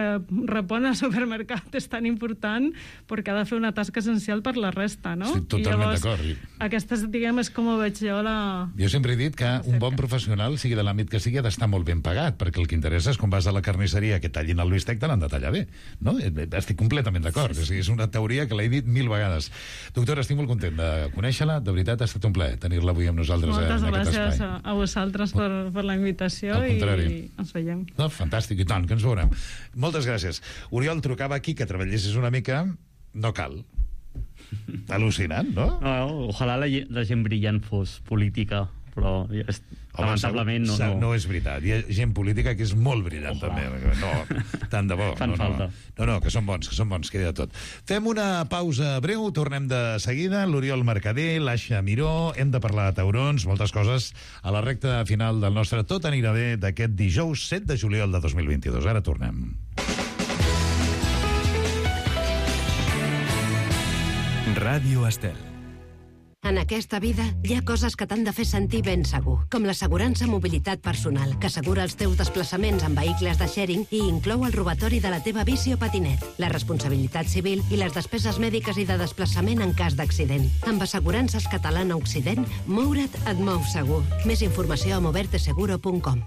repon al supermercat és tan important perquè ha de fer una tasca essencial per la resta, no?
Estic totalment d'acord.
Aquesta, diguem, és com ho veig jo la...
Jo sempre he dit que un bon professional, sigui de l'àmbit que sigui, ha d'estar molt ben pagat, perquè el que interessa és quan vas a la carnisseria que tallin el bistec, te l'han de tallar bé, no? Estic completament d'acord. Sí, sí. És una teoria que l'he dit mil vegades. Doctora, estic molt content de conèixer-la. De veritat, ha estat un plaer tenir-la avui amb nosaltres.
Moltes gràcies
espai.
a, a vosaltres per, per la invitació i ens veiem.
No, fantàstic, i tant, que ens veurem. Moltes gràcies. Oriol, trucava aquí que treballessis una mica. No cal. Al·lucinant, no?
No, ojalà la, la gent brillant fos política, però és, Home, lamentablement no, no.
No és veritat. Hi ha gent política que és molt brillant, oh, també. No, tant de bo.
Fan
no,
falta.
No, no, no, que són bons, que són bons, queda tot. Fem una pausa breu, tornem de seguida. L'Oriol Mercader, l'Aixa Miró, hem de parlar de taurons, moltes coses a la recta final del nostre Tot anirà bé d'aquest dijous set de juliol de dos mil vint-i-dos. Ara tornem.
Ràdio Estel.
En aquesta vida hi ha coses que t'han de fer sentir ben segur, com l'assegurança mobilitat personal, que assegura els teus desplaçaments en vehicles de sharing i inclou el robatori de la teva bici o patinet, la responsabilitat civil i les despeses mèdiques i de desplaçament en cas d'accident. Amb Assegurances Catalana Occident, moure't et mou segur. Més informació a moverte seguro punt com.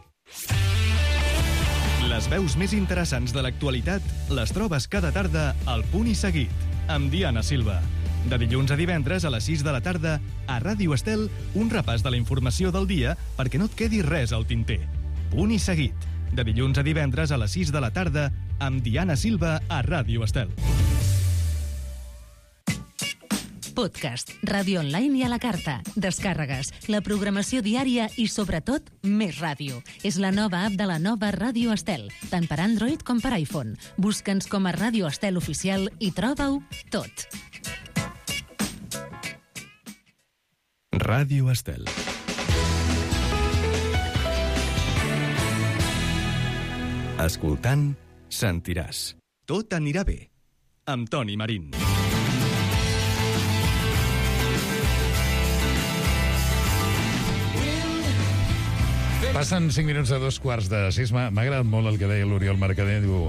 Les veus més interessants de l'actualitat les trobes cada tarda al Punt i Seguit, amb Diana Silva.
De dilluns a divendres a les sis de la tarda, a Ràdio Estel, un repàs de la informació del dia perquè no et quedi res al tinter. Punt i seguit. De dilluns a divendres a les sis de la tarda, amb Diana Silva a Ràdio Estel.
Podcast, ràdio online i a la carta, descàrregues, la programació diària i, sobretot, més ràdio. És la nova app de la nova Ràdio Estel, tant per Android com per iPhone. Busca'ns com a Ràdio Estel Oficial i troba-ho tot.
Ràdio Estel. Escoltant, sentiràs. Tot anirà bé. Amb Toni Marín.
Passen cinc minuts de dos quarts de sis. M'ha agradat molt el que deia l'Oriol Mercader. Diu,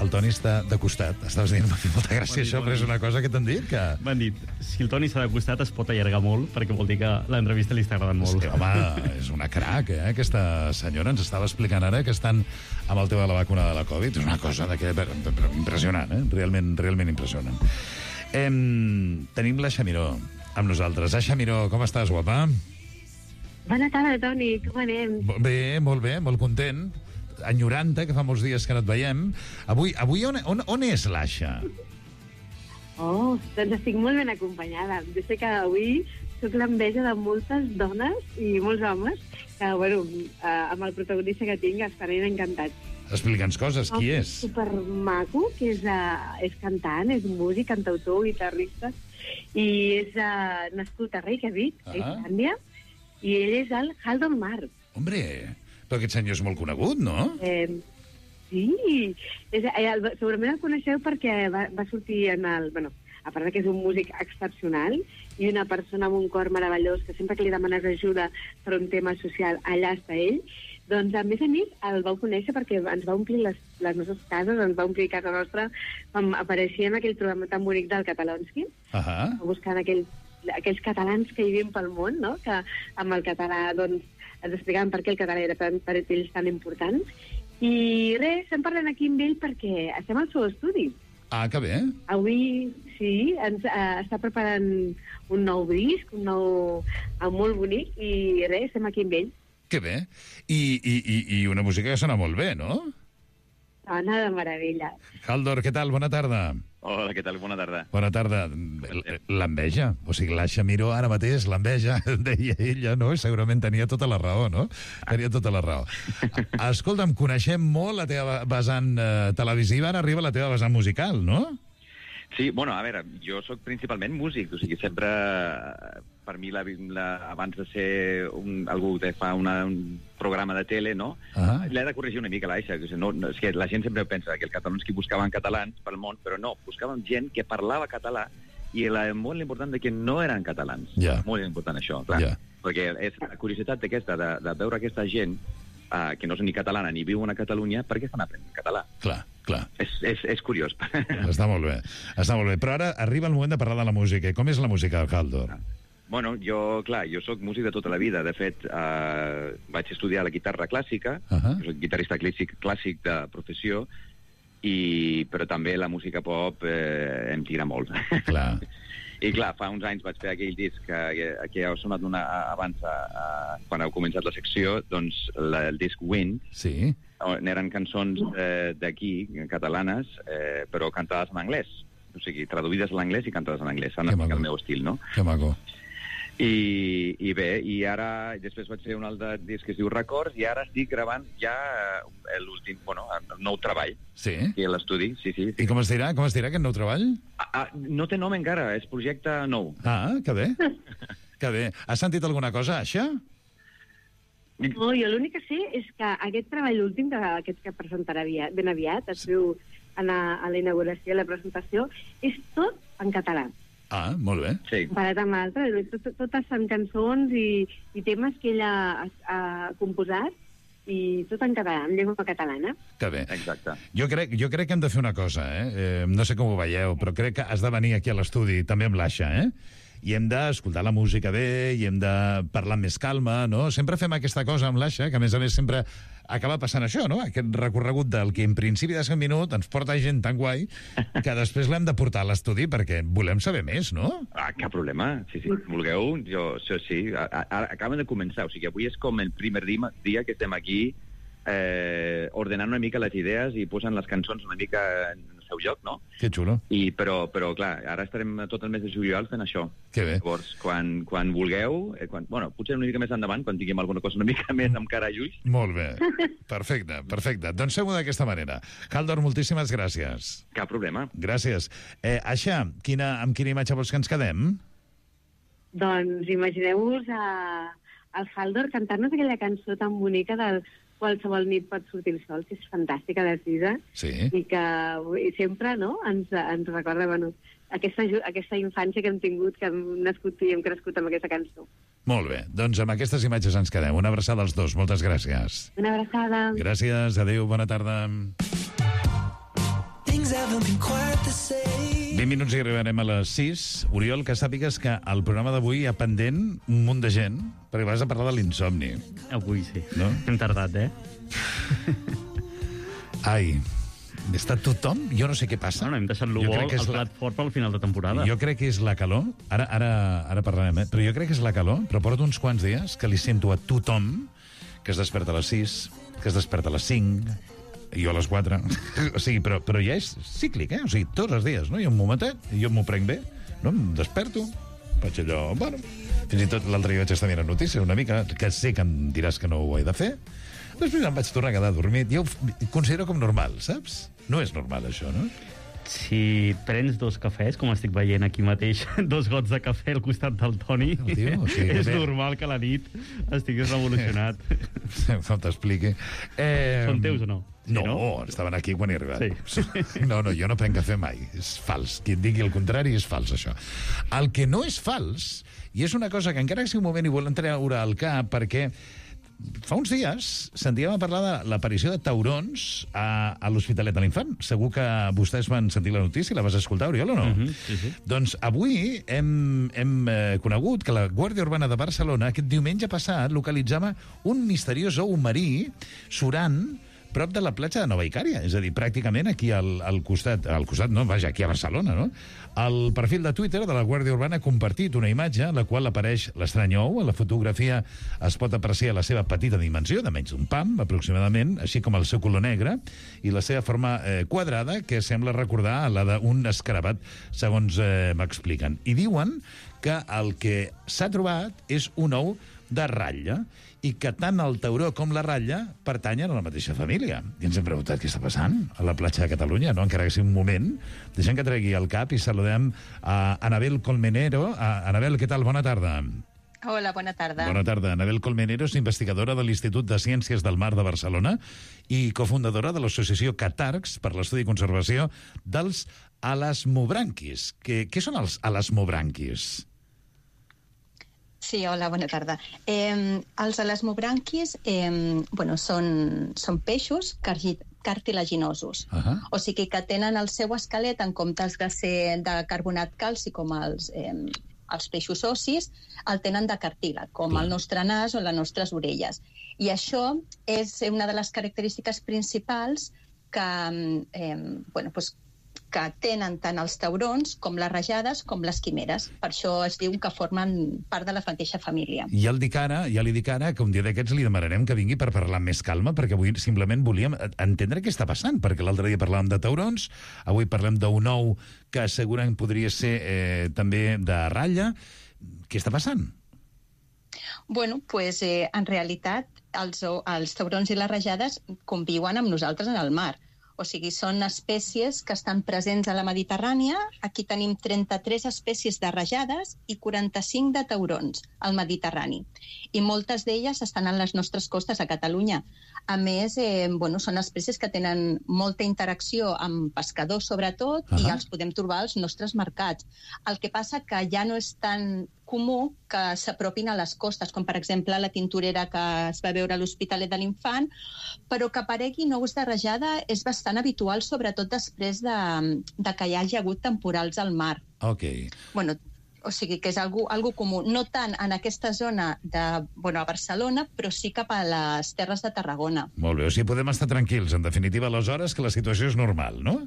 el Toni està de costat. Estaves dient, m'ha fet molta gràcia dit, això, però és una cosa que t'han dit. Que...
M'han dit, si el Toni està de costat es pot allargar molt, perquè vol dir que l'entrevista li està agradant molt.
Sí, home, és una crac, eh? Aquesta senyora ens estava explicant ara que estan amb el tema de la vacuna de la Covid. És una cosa de que... impressionant, eh? Realment, realment impressionant. Em... Tenim la Xamiró amb nosaltres. Ah, Xamiró, com estàs, guapa?
Bona tarda, Toni, com anem?
Bé, molt bé, molt content. Enyorant-te, que fa molts dies que no et veiem. Avui, avui on, on, on és l'Aixa?
Oh, doncs estic molt ben acompanyada. Jo sé que avui soc l'enveja de moltes dones i molts homes que, bueno, eh, amb el protagonista que tinc estaran encantats.
Explica'ns coses, qui és?
Un supermaco, que és, uh, és cantant, és músic, cantautor, guitarrista, i és uh, nascut a Reykjavik, a Islàndia, i ell és el Haldor Mark.
Hombre, però aquest senyor és molt conegut, no?
Eh, sí, és, eh, el, segurament el coneixeu perquè va, va sortir en el... Bueno, a part que és un músic excepcional i una persona amb un cor meravellós que sempre que li demanes ajuda per un tema social, allà està ell, doncs a més a més el vau conèixer perquè ens va omplir les, les nostres cases, ens va omplir casa nostra quan apareixia en aquell programa tan bonic del Catalonski,
uh-huh.
buscant aquell aquells catalans que hi vivim pel món, no? Que amb el català, doncs, ens explicaven per què el català era per, per ells tan important. I res, estem parlant aquí amb ell perquè estem al seu estudi.
Ah, que bé.
Avui, sí, ens uh, està preparant un nou disc, un nou... Uh, molt bonic, i res, estem aquí amb ell.
Que bé. I, i, i, i una música que sona molt bé, no?
Sona de meravella.
Haldor, què tal? Bona tarda.
Hola, què tal? Bona tarda.
Bona tarda. L'enveja. O sigui, la Xamiró ara mateix, l'enveja, deia ella, no? I segurament tenia tota la raó, no? Tenia tota la raó. Escolta'm, coneixem molt la teva vessant eh, televisiva, ara arriba la teva vessant musical, no?
Sí, bueno, a veure, jo sóc principalment músic, o sigui, sempre, per mi, la, la, abans de ser un, algú que fa una, un programa de tele, no? Uh-huh. L'he de corregir una mica, l'Aixa, que no, no, és que la gent sempre pensa que els catalans que buscaven catalans pel món, però no, buscaven gent que parlava català i la, molt important de que no eren catalans.
Yeah.
Molt important això, clar. Yeah. Perquè és la curiositat aquesta de, de veure aquesta gent uh, que no és ni catalana ni viuen a Catalunya, per què estan aprenent català?
Clar, clar.
És, és, és curiós.
Està molt bé, està molt bé. Però ara arriba el moment de parlar de la música. Com és la música, Haldor?
Bueno, jo, clar, jo sóc músic de tota la vida. De fet, eh, vaig estudiar la guitarra clàssica, uh-huh. soc guitarrista clàssic, clàssic de professió, i, però també la música pop eh, em tira molt.
Clar.
I clar, fa uns anys vaig fer aquell disc que, que heu sonat una, abans, a, quan heu començat la secció, doncs la, el disc Wind.
Sí.
Eren cançons eh, d'aquí, catalanes, eh, però cantades en anglès. O sigui, traduïdes a l'anglès i cantades en anglès. En el meu estil, no?
Que maco.
I, i bé, i ara després vaig fer un altre disc que es diu Records i ara estic gravant ja l'últim, bueno, el nou treball.
Sí?
Aquí a l'estudi, sí, sí.
I com es dirà? Com es dirà aquest nou treball?
Ah, ah, no té nom encara, és projecte nou.
Ah, que bé. Que bé. Has sentit alguna cosa, Aixa?
No, jo l'únic que sé és que aquest treball últim, aquest que presentarà ben aviat, es diu a la, a la inauguració, a la presentació, és tot en català.
Ah, molt bé.
Sí.
Comparat amb l'altre, tot, totes són cançons i, i temes que ella ha, ha composat i tot en català, en llengua catalana.
Que bé.
Exacte.
Jo crec, jo crec que hem de fer una cosa, eh? eh no sé com ho veieu, però crec que has de venir aquí a l'estudi, també amb l'Aixa, eh? I hem d'escoltar la música bé, i hem de parlar amb més calma, no? Sempre fem aquesta cosa amb l'Aixa, que a més a més sempre acaba passant això, no? Aquest recorregut del que en principi de ser un minut ens porta gent tan guai que després l'hem de portar a l'estudi perquè volem saber més, no?
Ah, cap problema. Sí, sí. Vulgueu, jo, això sí. Ara acaben de començar, o sigui, avui és com el primer dia, dia que estem aquí eh, ordenant una mica les idees i posant les cançons una mica en el seu lloc, no?
Que xulo.
I, però, però, clar, ara estarem tot el mes de juliol fent això.
Que bé.
Llavors, quan, quan vulgueu, eh, quan, bueno, potser una mica més endavant, quan tinguem alguna cosa una mica més amb cara a ulls.
Molt bé. Perfecte, perfecte. Doncs fem-ho d'aquesta manera. Haldor, moltíssimes gràcies.
Cap problema.
Gràcies. Eh, Aixa, quina, amb quina imatge vols que ens quedem?
Doncs imagineu-vos a, el Haldor cantant-nos aquella cançó tan bonica del qualsevol nit pot sortir el sol, que és fantàstica de Sisa,
sí.
I que i sempre no, ens, ens recorda bueno, aquesta, aquesta infància que hem tingut, que hem nascut i hem crescut amb aquesta cançó.
Molt bé, doncs amb aquestes imatges ens quedem. Una abraçada als dos, moltes gràcies.
Una abraçada.
Gràcies, adéu, bona tarda. vint minuts i arribarem a les sis. Oriol, que sàpigues que al programa d'avui hi ha pendent un munt de gent, perquè vas a parlar de l'insomni.
Avui sí.
No?
Hem tardat, eh?
Ai, està tothom? Jo no sé què passa.
No, no, hem deixat l'Ubol al plat la... fort pel final de temporada.
Jo crec que és la calor. Ara, ara, ara parlarem, eh? Però jo crec que és la calor, però porto uns quants dies que li sento a tothom que es desperta a les sis, que es desperta a les cinc, jo a les quatre. O sigui, però, però ja és cíclic, eh? O sigui, tots els dies, no? Hi ha un momentet, jo m'ho prenc bé, no? Em desperto, faig allò... Bueno, fins i tot l'altre dia vaig estar mirant notícies una mica, que sé que em diràs que no ho he de fer. Després em vaig tornar a quedar dormit. Jo ho considero com normal, saps? No és normal, això, no?
Si prens dos cafès, com estic veient aquí mateix, dos gots de cafè al costat del Toni, oh, tio, o sigui, és bé. Normal que a la nit estiguis revolucionat.
No t'expliqui. Eh,
Són teus o no? Sí,
no,
no,
estaven aquí quan he arribat.
Sí.
No, no, jo no prenc cafè mai. És fals. Qui et digui el contrari és fals, això. El que no és fals, i és una cosa que encara que sigui un moment i volem treure al cap, perquè fa uns dies sentíem a parlar de l'aparició de taurons a, a l'Hospitalet de l'Infant. Segur que vostès van sentir la notícia, la vas escoltar, Oriol, o no?
Uh-huh, sí, sí.
Doncs avui hem, hem eh, conegut que la Guàrdia Urbana de Barcelona aquest diumenge passat localitzava un misteriós ou marí surant prop de la platja de Nova Icària, és a dir, pràcticament aquí al, al costat, al costat, no, vaja, aquí a Barcelona, no? El perfil de Twitter de la Guàrdia Urbana ha compartit una imatge en la qual apareix l'estrany ou. A la fotografia es pot apreciar la seva petita dimensió, de menys d'un pam, aproximadament, així com el seu color negre, i la seva forma eh, quadrada, que sembla recordar la d'un escarabat, segons eh, m'expliquen. I diuen que el que s'ha trobat és un ou de ratlla, i que tant el tauró com la ratlla pertanyen a la mateixa família. I ens hem preguntat què està passant a la platja de Catalunya, no? Encara que sigui un moment. Deixem que tregui el cap i saludem a Anabel Colmenero. A Anabel, què tal? Bona tarda.
Hola, bona tarda.
Bona tarda. Anabel Colmenero és investigadora de l'Institut de Ciències del Mar de Barcelona i cofundadora de l'associació Catarcs per l'estudi i conservació dels elasmobranquis. Què, què són els elasmobranquis?
Sí, hola, bona tarda. Eh, els elasmobranquis eh, bueno, són, són peixos cartilaginosos. Uh -huh. O sigui que tenen el seu esquelet, en comptes de ser de carbonat calci com els, eh, els peixos ossis, el tenen de cartílag, com Clar. el nostre nas o les nostres orelles. I això és una de les característiques principals que, eh, bueno, pues, que tenen tant els taurons com les rajades com les quimeres. Per això es diu que formen part de la mateixa família.
Ja, el dic ara, ja li dic ara que un dia d'aquests li demanarem que vingui per parlar amb més calma, perquè avui simplement volíem entendre què està passant, perquè l'altre dia parlàvem de taurons, avui parlem d'un ou que segurament podria ser eh, també de ratlla. Què està passant?
Bueno, pues, eh, en realitat els, els taurons i les rajades conviuen amb nosaltres en el mar. O sigui, són espècies que estan presents a la Mediterrània. Aquí tenim trenta-tres espècies de rajades i quaranta-cinc de taurons al Mediterrani. I moltes d'elles estan a les nostres costes a Catalunya. A més, eh, bueno, són espècies que tenen molta interacció amb pescadors, sobretot, uh-huh. i els podem trobar als nostres mercats. El que passa que ja no és tan comú que s'apropin a les costes, com per exemple la tintorera que es va veure a l'Hospitalet de l'Infant, però que apareguin ous de rajada és bastant habitual, sobretot després de, de que hi hagi hagut temporals al mar.
Ok.
Bueno, o sigui que és algo, algo comú, no tant en aquesta zona de, bueno, a Barcelona, però sí cap a les Terres de Tarragona.
Molt bé, o sigui, podem estar tranquils, en definitiva, aleshores, que la situació és normal, no?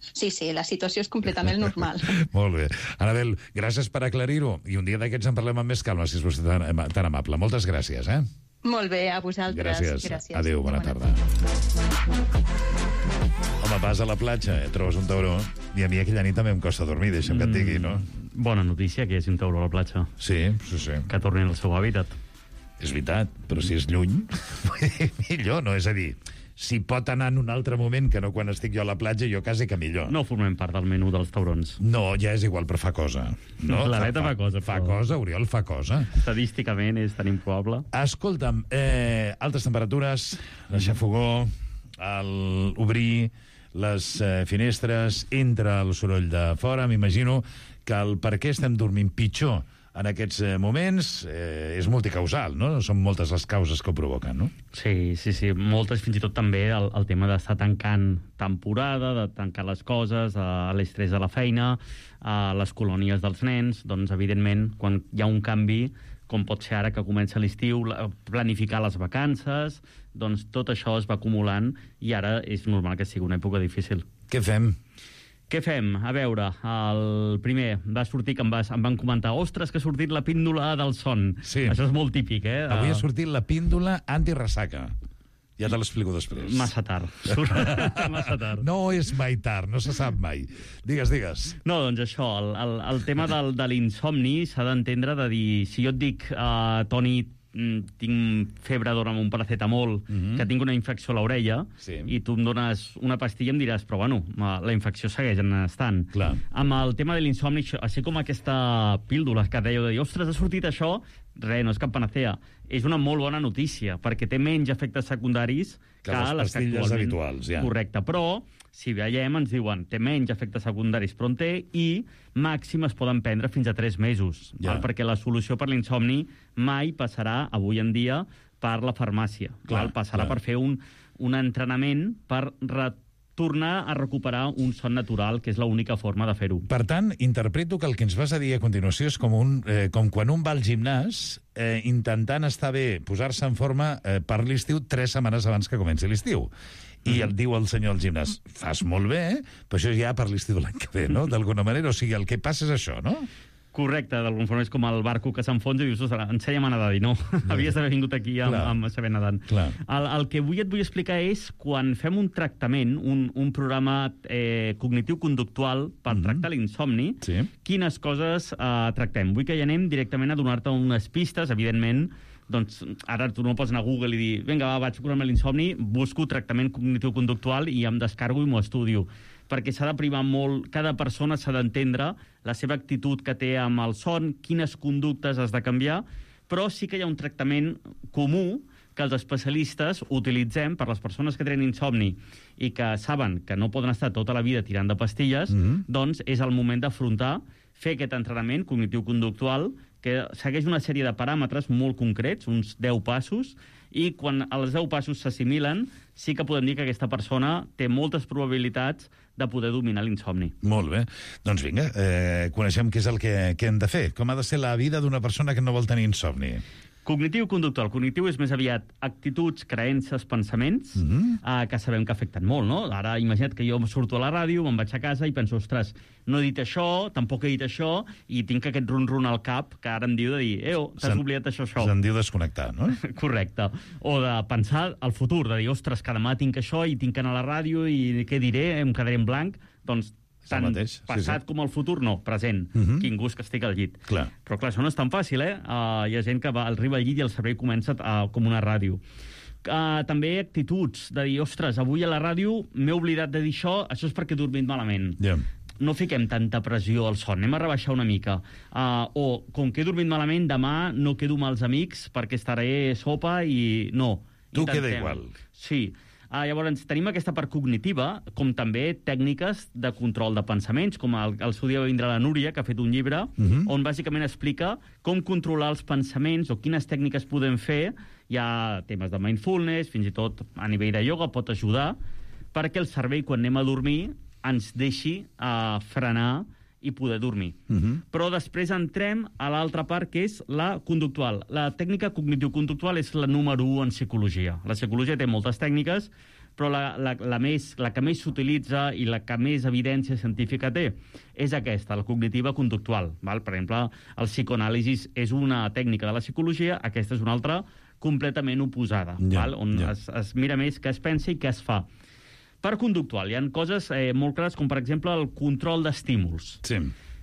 Sí, sí, la situació és completament normal.
Molt bé. Anabel, gràcies per aclarir-ho, i un dia d'aquests en parlem amb més calma, si és vostè tan, tan amable. Moltes gràcies, eh?
Molt bé, a vosaltres.
Gràcies.
Gràcies.
Adéu, bona, bona tarda. Home, vas a la platja, eh? Trobes un tauró, i a mi aquella nit també em costa dormir, deixa'm que et digui, no?
Bona notícia que hi hagi un tauró a la platja.
Sí, sí, sí.
Que torni al seu hàbitat.
És veritat, però si és lluny, millor, no? És a dir, si pot anar en un altre moment que no quan estic jo a la platja, jo quasi que millor.
No formem part del menú dels taurons.
No, ja és igual, però fa cosa. No?
La neta fa, fa cosa.
Fa però... cosa, Oriol, fa cosa.
Estadísticament és tan improbable.
Escolta'm, eh, altes temperatures, deixar fogó, el obrir les eh, finestres, entra el soroll de fora, m'imagino que el per què estem dormint pitjor en aquests eh, moments eh, és multicausal, no? Són moltes les causes que ho provoquen, no?
Sí, sí, sí. Moltes, fins i tot també el, el tema d'estar tancant temporada, de tancar les coses, a l'estrès de la feina, a les colònies dels nens, doncs, evidentment, quan hi ha un canvi, com pot ser ara que comença l'estiu, planificar les vacances, doncs tot això es va acumulant i ara és normal que sigui una època difícil.
Què fem?
Què fem? A veure, el primer va sortir que em, vas, em van comentar ostres, que ha sortit la píndola del son.
Sí.
Això és molt típic, eh?
Avui ha sortit la píndola antiressaca. Ja te l'explico després.
Massa tard. Massa tard.
No és mai tard, no se sap mai. Digues, digues.
No, doncs això, el, el, el tema del, de l'insomni s'ha d'entendre de dir, si jo et dic, uh, Toni, tinc febre, dona'm un paracetamol, mm-hmm. que tinc una infecció a l'orella, sí. i tu em dones una pastilla i em diràs, però bueno, la infecció segueix estant.
Clar.
Amb el tema de l'insomni, així com aquesta píldora que dèieu de dir, ostres, ha sortit això, res, no és cap panacea. És una molt bona notícia, perquè té menys efectes secundaris que, que les, les
pastilles habituals. Ja.
Correcte, però si veiem, ens diuen, té menys efectes secundaris, però en té, i màxim es poden prendre fins a tres mesos, ja. val? Perquè la solució per l'insomni mai passarà, avui en dia, per la farmàcia.
Clar,
val? Passarà
clar.
per fer un, un entrenament per tornar a recuperar un son natural, que és l'única forma de fer-ho.
Per tant, interpreto que el que ens vas a dir a continuació és com, un, eh, com quan un va al gimnàs eh, intentant estar bé, posar-se en forma eh, per l'estiu tres setmanes abans que comenci l'estiu. I el diu el senyor al gimnàs, fas molt bé, eh? Però això ja per l'estiu de l'any que ve, no? D'alguna manera, o sigui, el que passa és això, no?
Correcte, d'alguna forma és com el barco que s'enfonsa i dius, ostres, ensenya'm a nedar, i no, havies d'haver vingut aquí amb, amb saber nedant. El, el que avui et vull explicar és quan fem un tractament, un, un programa eh, cognitiu-conductual per mm-hmm. tractar l'insomni,
sí. quines
coses eh, tractem. Vull que ja anem directament a donar-te unes pistes, evidentment, doncs ara tu no pots anar a Google i dir vinga, va, vaig curar-me l'insomni, busco tractament cognitiu-conductual i em descargo i m'ho estudio. Perquè s'ha de primar molt, cada persona s'ha d'entendre la seva actitud que té amb el son, quines conductes has de canviar, però sí que hi ha un tractament comú que els especialistes utilitzem per les persones que tenen insomni i que saben que no poden estar tota la vida tirant de pastilles, mm-hmm. doncs és el moment d'afrontar, fer aquest entrenament cognitiu-conductual que segueix una sèrie de paràmetres molt concrets, uns deu passos, i quan els deu passos s'assimilen, sí que podem dir que aquesta persona té moltes probabilitats de poder dominar l'insomni.
Molt bé. Doncs vinga, eh, coneixem què és el que, que hem de fer. Com ha de ser la vida d'una persona que no vol tenir insomni?
Cognitiu-conductual. Cognitiu és més aviat actituds, creences, pensaments, mm-hmm. eh, que sabem que afecten molt, no? Ara, imagina't que jo surto a la ràdio, me'n vaig a casa i penso, ostres, no he dit això, tampoc he dit això, i tinc aquest run-run al cap que ara em diu de dir, eo, t'has oblidat això, això.
Se'n diu desconnectar, no?
Correcte. O de pensar al futur, de dir, ostres, que demà tinc això i tinc que anar a la ràdio i què diré, em quedaré en blanc, doncs tant
mateix,
passat
sí, sí.
com el futur, no, present.
Uh-huh.
Quin gust que estic al llit.
Clar.
Però clar, això no és tan fàcil, eh? Uh, hi ha gent que va, arriba al llit i el cervell comença uh, com una ràdio. Uh, també actituds, de dir, ostres, avui a la ràdio m'he oblidat de dir això, això és perquè he dormit malament.
Yeah.
No fiquem tanta pressió al son, anem a rebaixar una mica. Uh, o, com que he dormit malament, demà no quedo amb els amics perquè estaré sopa i no.
Tu queda igual.
Sí. Uh, llavors, tenim aquesta part cognitiva, com també tècniques de control de pensaments, com el, el seu dia va vindre la Núria, que ha fet un llibre, uh-huh. on bàsicament explica com controlar els pensaments o quines tècniques podem fer. Hi ha temes de mindfulness, fins i tot a nivell de ioga pot ajudar, perquè el cervell, quan anem a dormir, ens deixi uh, frenar i poder dormir.
Uh -huh.
Però després entrem a l'altra part, que és la conductual. La tècnica cognitiu-conductual és la número u en psicologia. La psicologia té moltes tècniques, però la, la, la, més, la que més s'utilitza i la que més evidència científica té és aquesta, la cognitiva conductual. Val? Per exemple, el psicoanàlisi és una tècnica de la psicologia, aquesta és una altra completament oposada,
Ja,
val? On
ja.
es, es mira més què es pensa i què es fa. Per conductual, hi ha coses eh, molt clares, com per exemple el control d'estímuls.
Sí.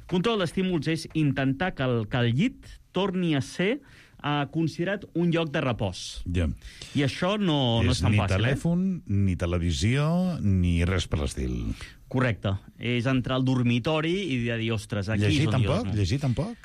Control d'estímuls és intentar que el, que el llit torni a ser uh, considerat un lloc de repòs.
Ja.
I això no, no és tan
ni
fàcil.
telèfon, eh? ni televisió, ni res per l'estil.
Correcte. És entrar al dormitori i de dir, ostres, aquí
Llegir
és on
tampoc?
jo... No.
Llegir tampoc?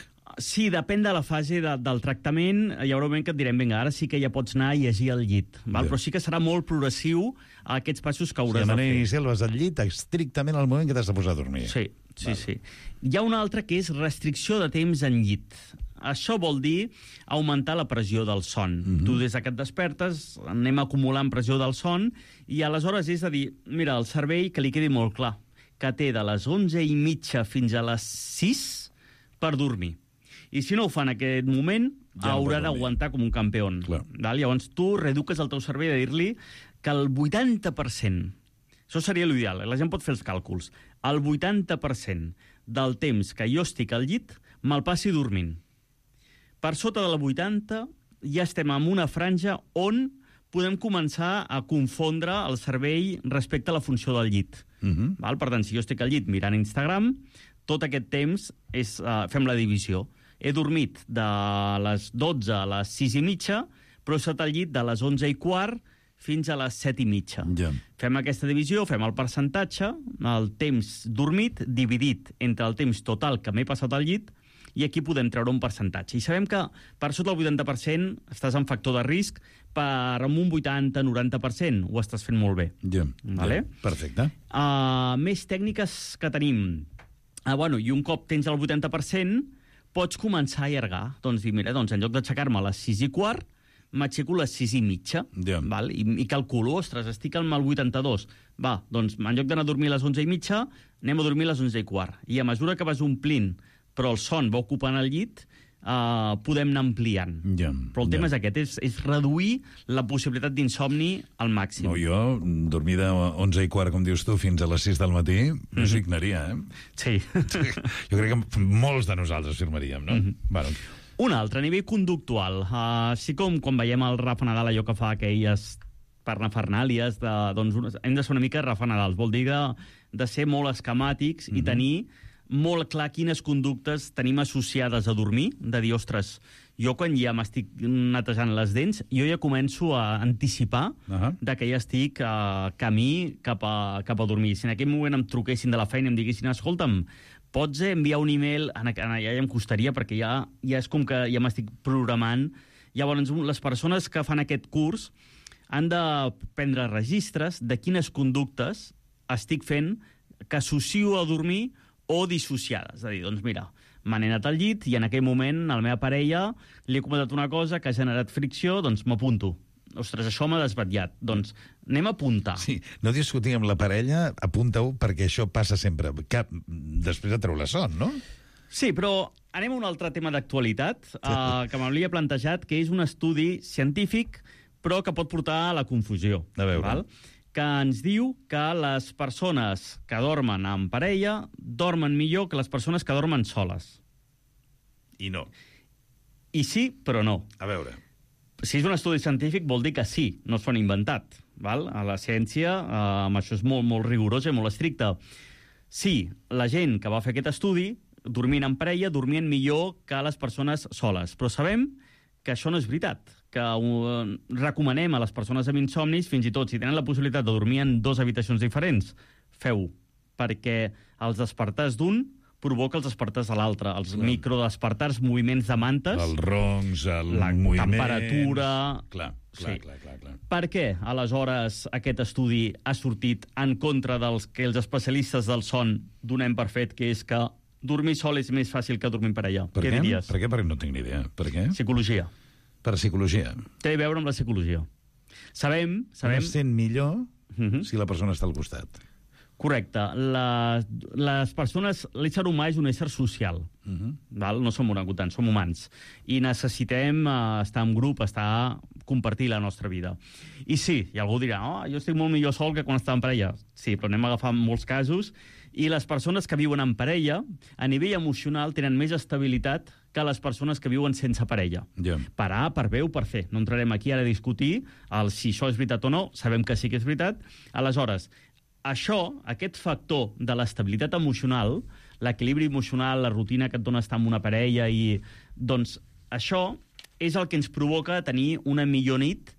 Sí, depèn de la fase de, del tractament. Hi haurà un moment que et direm, vinga, ara sí que ja pots anar a llegir al llit. Val?
Ja.
Però sí que serà molt progressiu a aquests passos que
Si
hauràs
de
de
manera
fer.
inicial vas al llit estrictament al moment que t'has de posar a dormir.
Sí, sí, sí. Hi ha una altra que és restricció de temps en llit. Això vol dir augmentar la pressió del son.
Mhm.
Tu des que et despertes anem acumulant pressió del son i aleshores és a dir, mira, el cervell que li quedi molt clar, que té de les onze i mitja fins a les sis per dormir. I si no ho fa en aquest moment,
Ja no pot
haurà
dormir.
d'aguantar com un campió. Val? Llavors tu reeduques el teu cervell de dir-li que el vuitanta per cent, això seria l'ideal, la gent pot fer els càlculs, el vuitanta per cent del temps que jo estic al llit me'l passi dormint. Per sota del vuitanta ja estem en una franja on podem començar a confondre el cervell respecte a la funció del llit.
Uh -huh.
Val? Per tant, si jo estic al llit mirant Instagram, tot aquest temps és, uh, fem la divisió. He dormit de les dotze a les sis i mitja, però he estat al llit de les onze i quart fins a les set i mitja.
Ja.
Fem aquesta divisió, fem el percentatge, el temps dormit dividit entre el temps total que m'he passat al llit, i aquí podem treure un percentatge. I sabem que per sota del vuitanta per cent estàs en factor de risc, per amb un vuitanta noranta per cent ho estàs fent molt bé.
Ja,
Vale?
ja. Perfecte.
Uh, més tècniques que tenim. Uh, bueno, I un cop tens el vuitanta per cent, pots començar a allargar. Doncs dir, mira, doncs en lloc d'aixecar-me a les sis i quart, m'aixeco a les sis i mitja.
Ja.
Val? I, I calculo, ostres, estic al vuitanta-dos. Va, doncs en lloc d'anar a dormir a les onze i mitja, anem a dormir a les onze i quart. I a mesura que vas omplint, però el son va ocupant el llit, uh, podem anar ampliant.
Ja,
Però el tema
ja.
és aquest, és, és reduir la possibilitat d'insomni al màxim.
No, jo, dormir de onze i quart, com dius tu, fins a les sis del matí, no
Mhm.
signaria, eh?
Sí.
Jo crec que molts de nosaltres firmaríem, no?
Mhm.
Bueno,
Un altre, a nivell conductual. Uh, així com quan veiem el Rafa Nadal, allò que fa aquelles parnafernàlies, de, doncs unes, hem de ser una mica Rafa Nadals. Vol dir de, de ser molt esquemàtics
Mhm.
i tenir molt clar quines conductes tenim associades a dormir, de dir, ostres, jo quan ja m'estic netejant les dents, jo ja començo a anticipar
uh-huh.
de que ja estic uh, camí cap a, cap a dormir. Si en aquell moment em truquessin de la feina i em diguessin, escolta'm, pots enviar un e-mail, en, en, ja em costaria perquè ja, ja és com que ja m'estic programant. Llavors, les persones que fan aquest curs han de prendre registres de quines conductes estic fent que associo a dormir o dissociades. És a dir, doncs mira, m'han anat al llit i en aquell moment a la meva parella li he comentat una cosa que ha generat fricció, doncs m'apunto. Ostres, això m'ha desvetllat. Doncs anem a apuntar.
Sí, no discutir amb la parella, apunta-ho, perquè això passa sempre. Cap, després de treure la son, no?
Sí, però anem a un altre tema d'actualitat uh, que m'havia plantejat, que és un estudi científic, però que pot portar a la confusió.
A veure.
Val? Que ens diu que les persones que dormen en parella dormen millor que les persones que dormen soles.
I no.
I sí, però no.
A veure.
Si és un estudi científic, vol dir que sí, no s'ho han inventat. Val? A la ciència, eh, amb això és molt, molt rigorós i molt estricte. Sí, la gent que va fer aquest estudi, dormint en parella, dormien millor que les persones soles. Però sabem que això no és veritat, que uh, recomanem a les persones amb insomnis, fins i tot si tenen la possibilitat de dormir en dues habitacions diferents, feu-ho, perquè els despertars d'un provoca els despertars de l'altre, els
Clar.
microdespertars, moviments de mantes,
Els roncs, el
la
moviment...
temperatura...
Clar, clar,
Sí.
clar, clar, clar.
Per què, aleshores, aquest estudi ha sortit en contra dels que els especialistes del son donem per fet, que és que dormir sol és més fàcil que dormir en parella?
Per
què
què?
diries?
Per què? Perquè no tinc ni idea. Per què?
Psicologia.
Per psicologia.
Té a veure amb la psicologia. Sabem... sabem...
No es sent millor
Mhm.
si la persona està al costat.
Correcte. La, les persones, l'ésser humà és un ésser social. Uh-huh. Val? No som orangutans, som humans. I necessitem uh, estar en grup, estar compartir la nostra vida. I sí, i algú dirà, oh, jo estic molt millor sol que quan estava en parella. Sí, però anem a agafar molts casos. I les persones que viuen en parella, a nivell emocional, tenen més estabilitat que les persones que viuen sense parella.
Yeah.
Per A, per B o per C. No entrarem aquí ara a discutir el si això és veritat o no, sabem que sí que és veritat. Aleshores, això, aquest factor de l'estabilitat emocional, l'equilibri emocional, la rutina que et dona estar amb una parella, i doncs això és el que ens provoca tenir una millor nit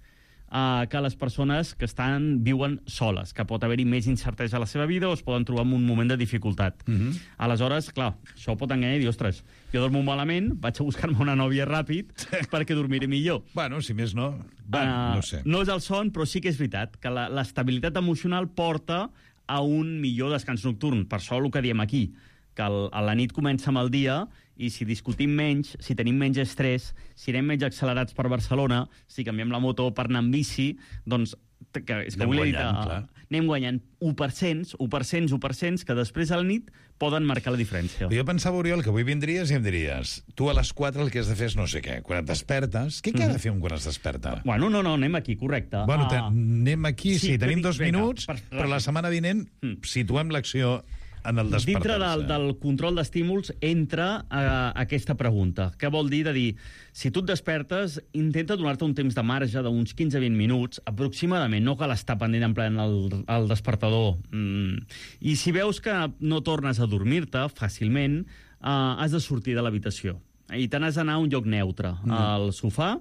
Uh, que les persones que estan viuen soles, que pot haver-hi més incertesa a la seva vida o es poden trobar en un moment de dificultat. Uh-huh. Aleshores, clar, això pot enganyar i dir, ostres, jo dormo malament, vaig a buscar-me una nòvia ràpid perquè dormiré millor.
Bueno, si més no... Bueno, uh, no sé.
No és el son, però sí que és veritat que la, l'estabilitat emocional porta a un millor descans nocturn. Per això el que diem aquí, que el, a la nit comença amb el dia, i si discutim menys, si tenim menys estrès, si anem menys accelerats per Barcelona, si canviem la moto per anar amb bici, doncs que, és que
anem
vull
guanyant,
dir, uh, anem guanyant u per cent, u per cent, u per cent, que després a la nit poden marcar la diferència.
Jo pensava, Oriol, que avui vindries i em diries tu a les quatre el que has de fer és no sé què. Quan et despertes, què, què mm-hmm. ha de fer un quan es desperta?
Bueno, no, no, anem aquí, correcte.
Bueno,
uh,
anem aquí, sí, sí tenim dos
venga,
minuts, per, però la setmana vinent mm. situem l'acció en el despertar-se.
Dintre del, del control d'estímuls entra uh, aquesta pregunta. Què vol dir de dir, si tu et despertes, intenta donar-te un temps de marge d'uns quinze a vint minuts, aproximadament, no cal estar pendent en ple el, el despertador. Mm. I si veus que no tornes a dormir-te fàcilment, uh, has de sortir de l'habitació. I te n'has d'anar a un lloc neutre, mm. al sofà,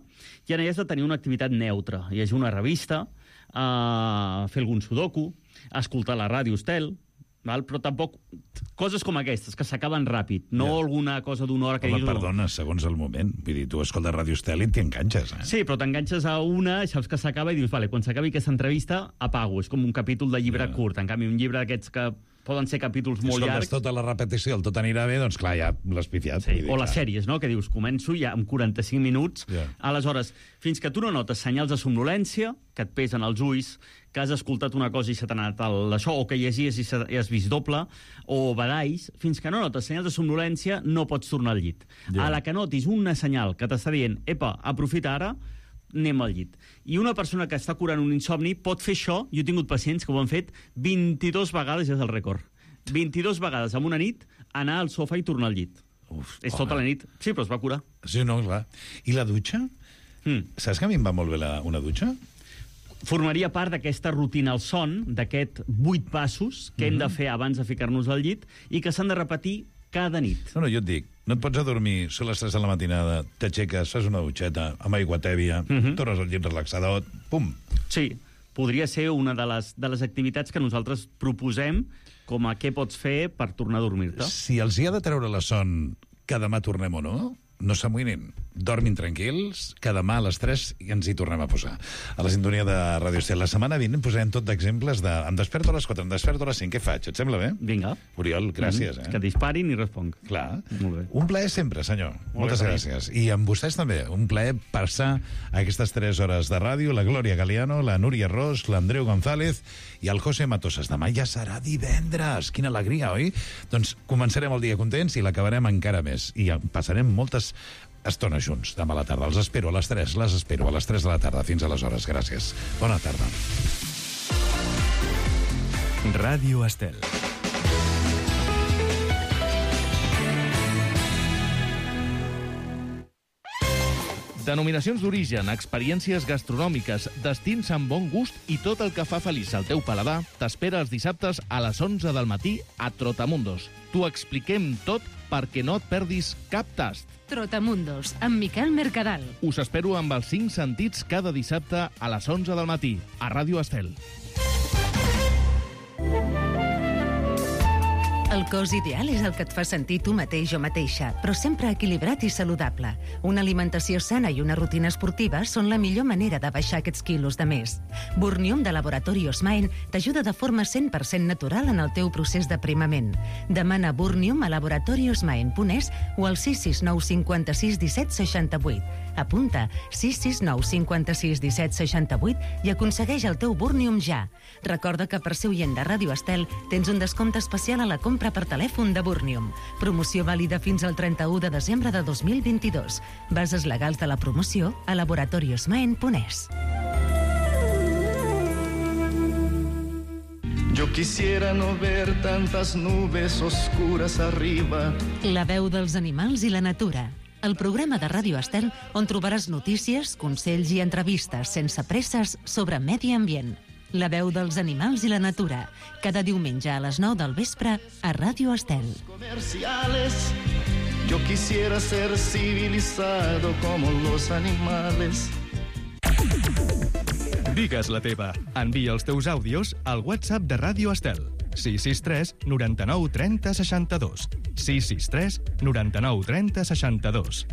i allà has de tenir una activitat neutra. Llegir una revista, uh, fer algun sudoku, escoltar la ràdio Estel, val? Però tampoc coses com aquestes, que s'acaben ràpid, no ja. Alguna cosa d'una hora que
Home,
dius...
perdona, segons el moment. Vull dir, tu escoltes Ràdio Estel i t'enganxes, eh?
Sí, però t'enganxes a una, saps que s'acaba i dius, vale, quan s'acabi aquesta entrevista, apago. És com un capítol de llibre ja. curt. En canvi, un llibre d'aquests que poden ser capítols molt
Escoltes
llargs...
tota la repetició, el tot anirà bé, doncs clar, ja l'has pifiat.
Sí, dir, o les sèries, no?, que dius, començo ja amb quaranta-cinc minuts, yeah. Aleshores, fins que tu no notes senyals de somnolència, que et pesen els ulls, que has escoltat una cosa i se t'ha anat això, o que llegies i, i has vist doble, o badalls, fins que no notes senyals de somnolència, no pots tornar al llit. Yeah. A la que notis una senyal que t'està dient, epa, aprofita ara, anem al llit. I una persona que està curant un insomni pot fer això, jo he tingut pacients que ho han fet vint-i-dues vegades, és el rècord. vint-i-dues vegades en una nit, anar al sofà i tornar al llit. Uf, és home. Tota la nit. Sí, però es va curar.
Sí, no, clar. I la dutxa? Mm. Saps que a mi em va molt bé la, una dutxa?
Formaria part d'aquesta rutina al son, d'aquest vuit passos que mm-hmm. hem de fer abans de ficar-nos al llit i que s'han de repetir cada nit.
No, no, jo et dic, no et pots adormir, són les tres de la matinada, t'aixeques, fas una dutxeta amb aigua tèbia, mm-hmm. tornes al llit relaxadot, pum.
Sí, podria ser una de les, de les activitats que nosaltres proposem com a què pots fer per tornar a dormir-te.
Si els hi ha de treure la son que demà tornem o no, no s'amoïnin. Dormin tranquils, que demà a les tres ens hi tornem a posar. A la sintonia de Ràdio Estel. La setmana vinent posarem tot d'exemples de... Em desperto a les quatre, em desperto a les cinc, què faig? Et sembla bé?
Vinga.
Oriol, gràcies.
Mm-hmm.
Eh?
Que disparin i responc.
Clar.
Molt bé.
Un plaer sempre, senyor.
Molt
Moltes
bé,
gràcies. I amb vostès també. Un plaer passar aquestes tres hores de ràdio. La Glòria Galiano, la Núria Ros, l'Andreu González i el José Matosas. Demà ja serà divendres. Quina alegria, oi? Doncs començarem el dia contents i l'acabarem encara més. I passarem moltes estones junts demà a la tarda. Els espero a les tres, les espero a les tres de la tarda. Fins aleshores, gràcies. Bona tarda.
Ràdio Estel. Denominacions d'origen, experiències gastronòmiques, destins amb bon gust i tot el que fa feliç al teu paladar t'espera els dissabtes a les onze del matí a Trotamundos. T'ho expliquem tot perquè no et perdis cap tast.
Trotamundos, amb Miquel Mercadal.
Us espero amb els cinc sentits cada dissabte a les onze del matí, a Ràdio Estel.
El cos ideal és el que et fa sentir tu mateix o mateixa, però sempre equilibrat i saludable. Una alimentació sana i una rutina esportiva són la millor manera de baixar aquests quilos de més. Burnium de Laboratori Osmaen t'ajuda de forma cent per cent natural en el teu procés d'aprimament. Demana Burnium a laboratori osmaen punt es o al sis sis nou cinquanta-sis disset seixanta-vuit. Apunta sis sis nou cinquanta-sis disset seixanta-vuit i aconsegueix el teu Burnium ja. Recorda que per ser oient de Ràdio Estel tens un descompte especial a la compra per telèfon de Burnium. Promoció vàlida fins al trenta-u de desembre de dos mil vint-i-dos. Bases legals de la promoció a laboratori osmaen punt es.
Yo quisiera no ver tantas nubes oscuras arriba.
La veu dels animals i la natura. El programa de Ràdio Estel on trobaràs notícies, consells i entrevistes sense presses sobre medi ambient. La veu dels animals i la natura. Cada diumenge a les nou del vespre a Ràdio Estel.
Comerciales. Yo quisiera ser civilizado como los animales.
Digues la teva. Envia els teus àudios al WhatsApp de Ràdio Estel. sis sis tres noranta-nou trenta seixanta-dos. sis sis tres noranta-nou trenta seixanta-dos.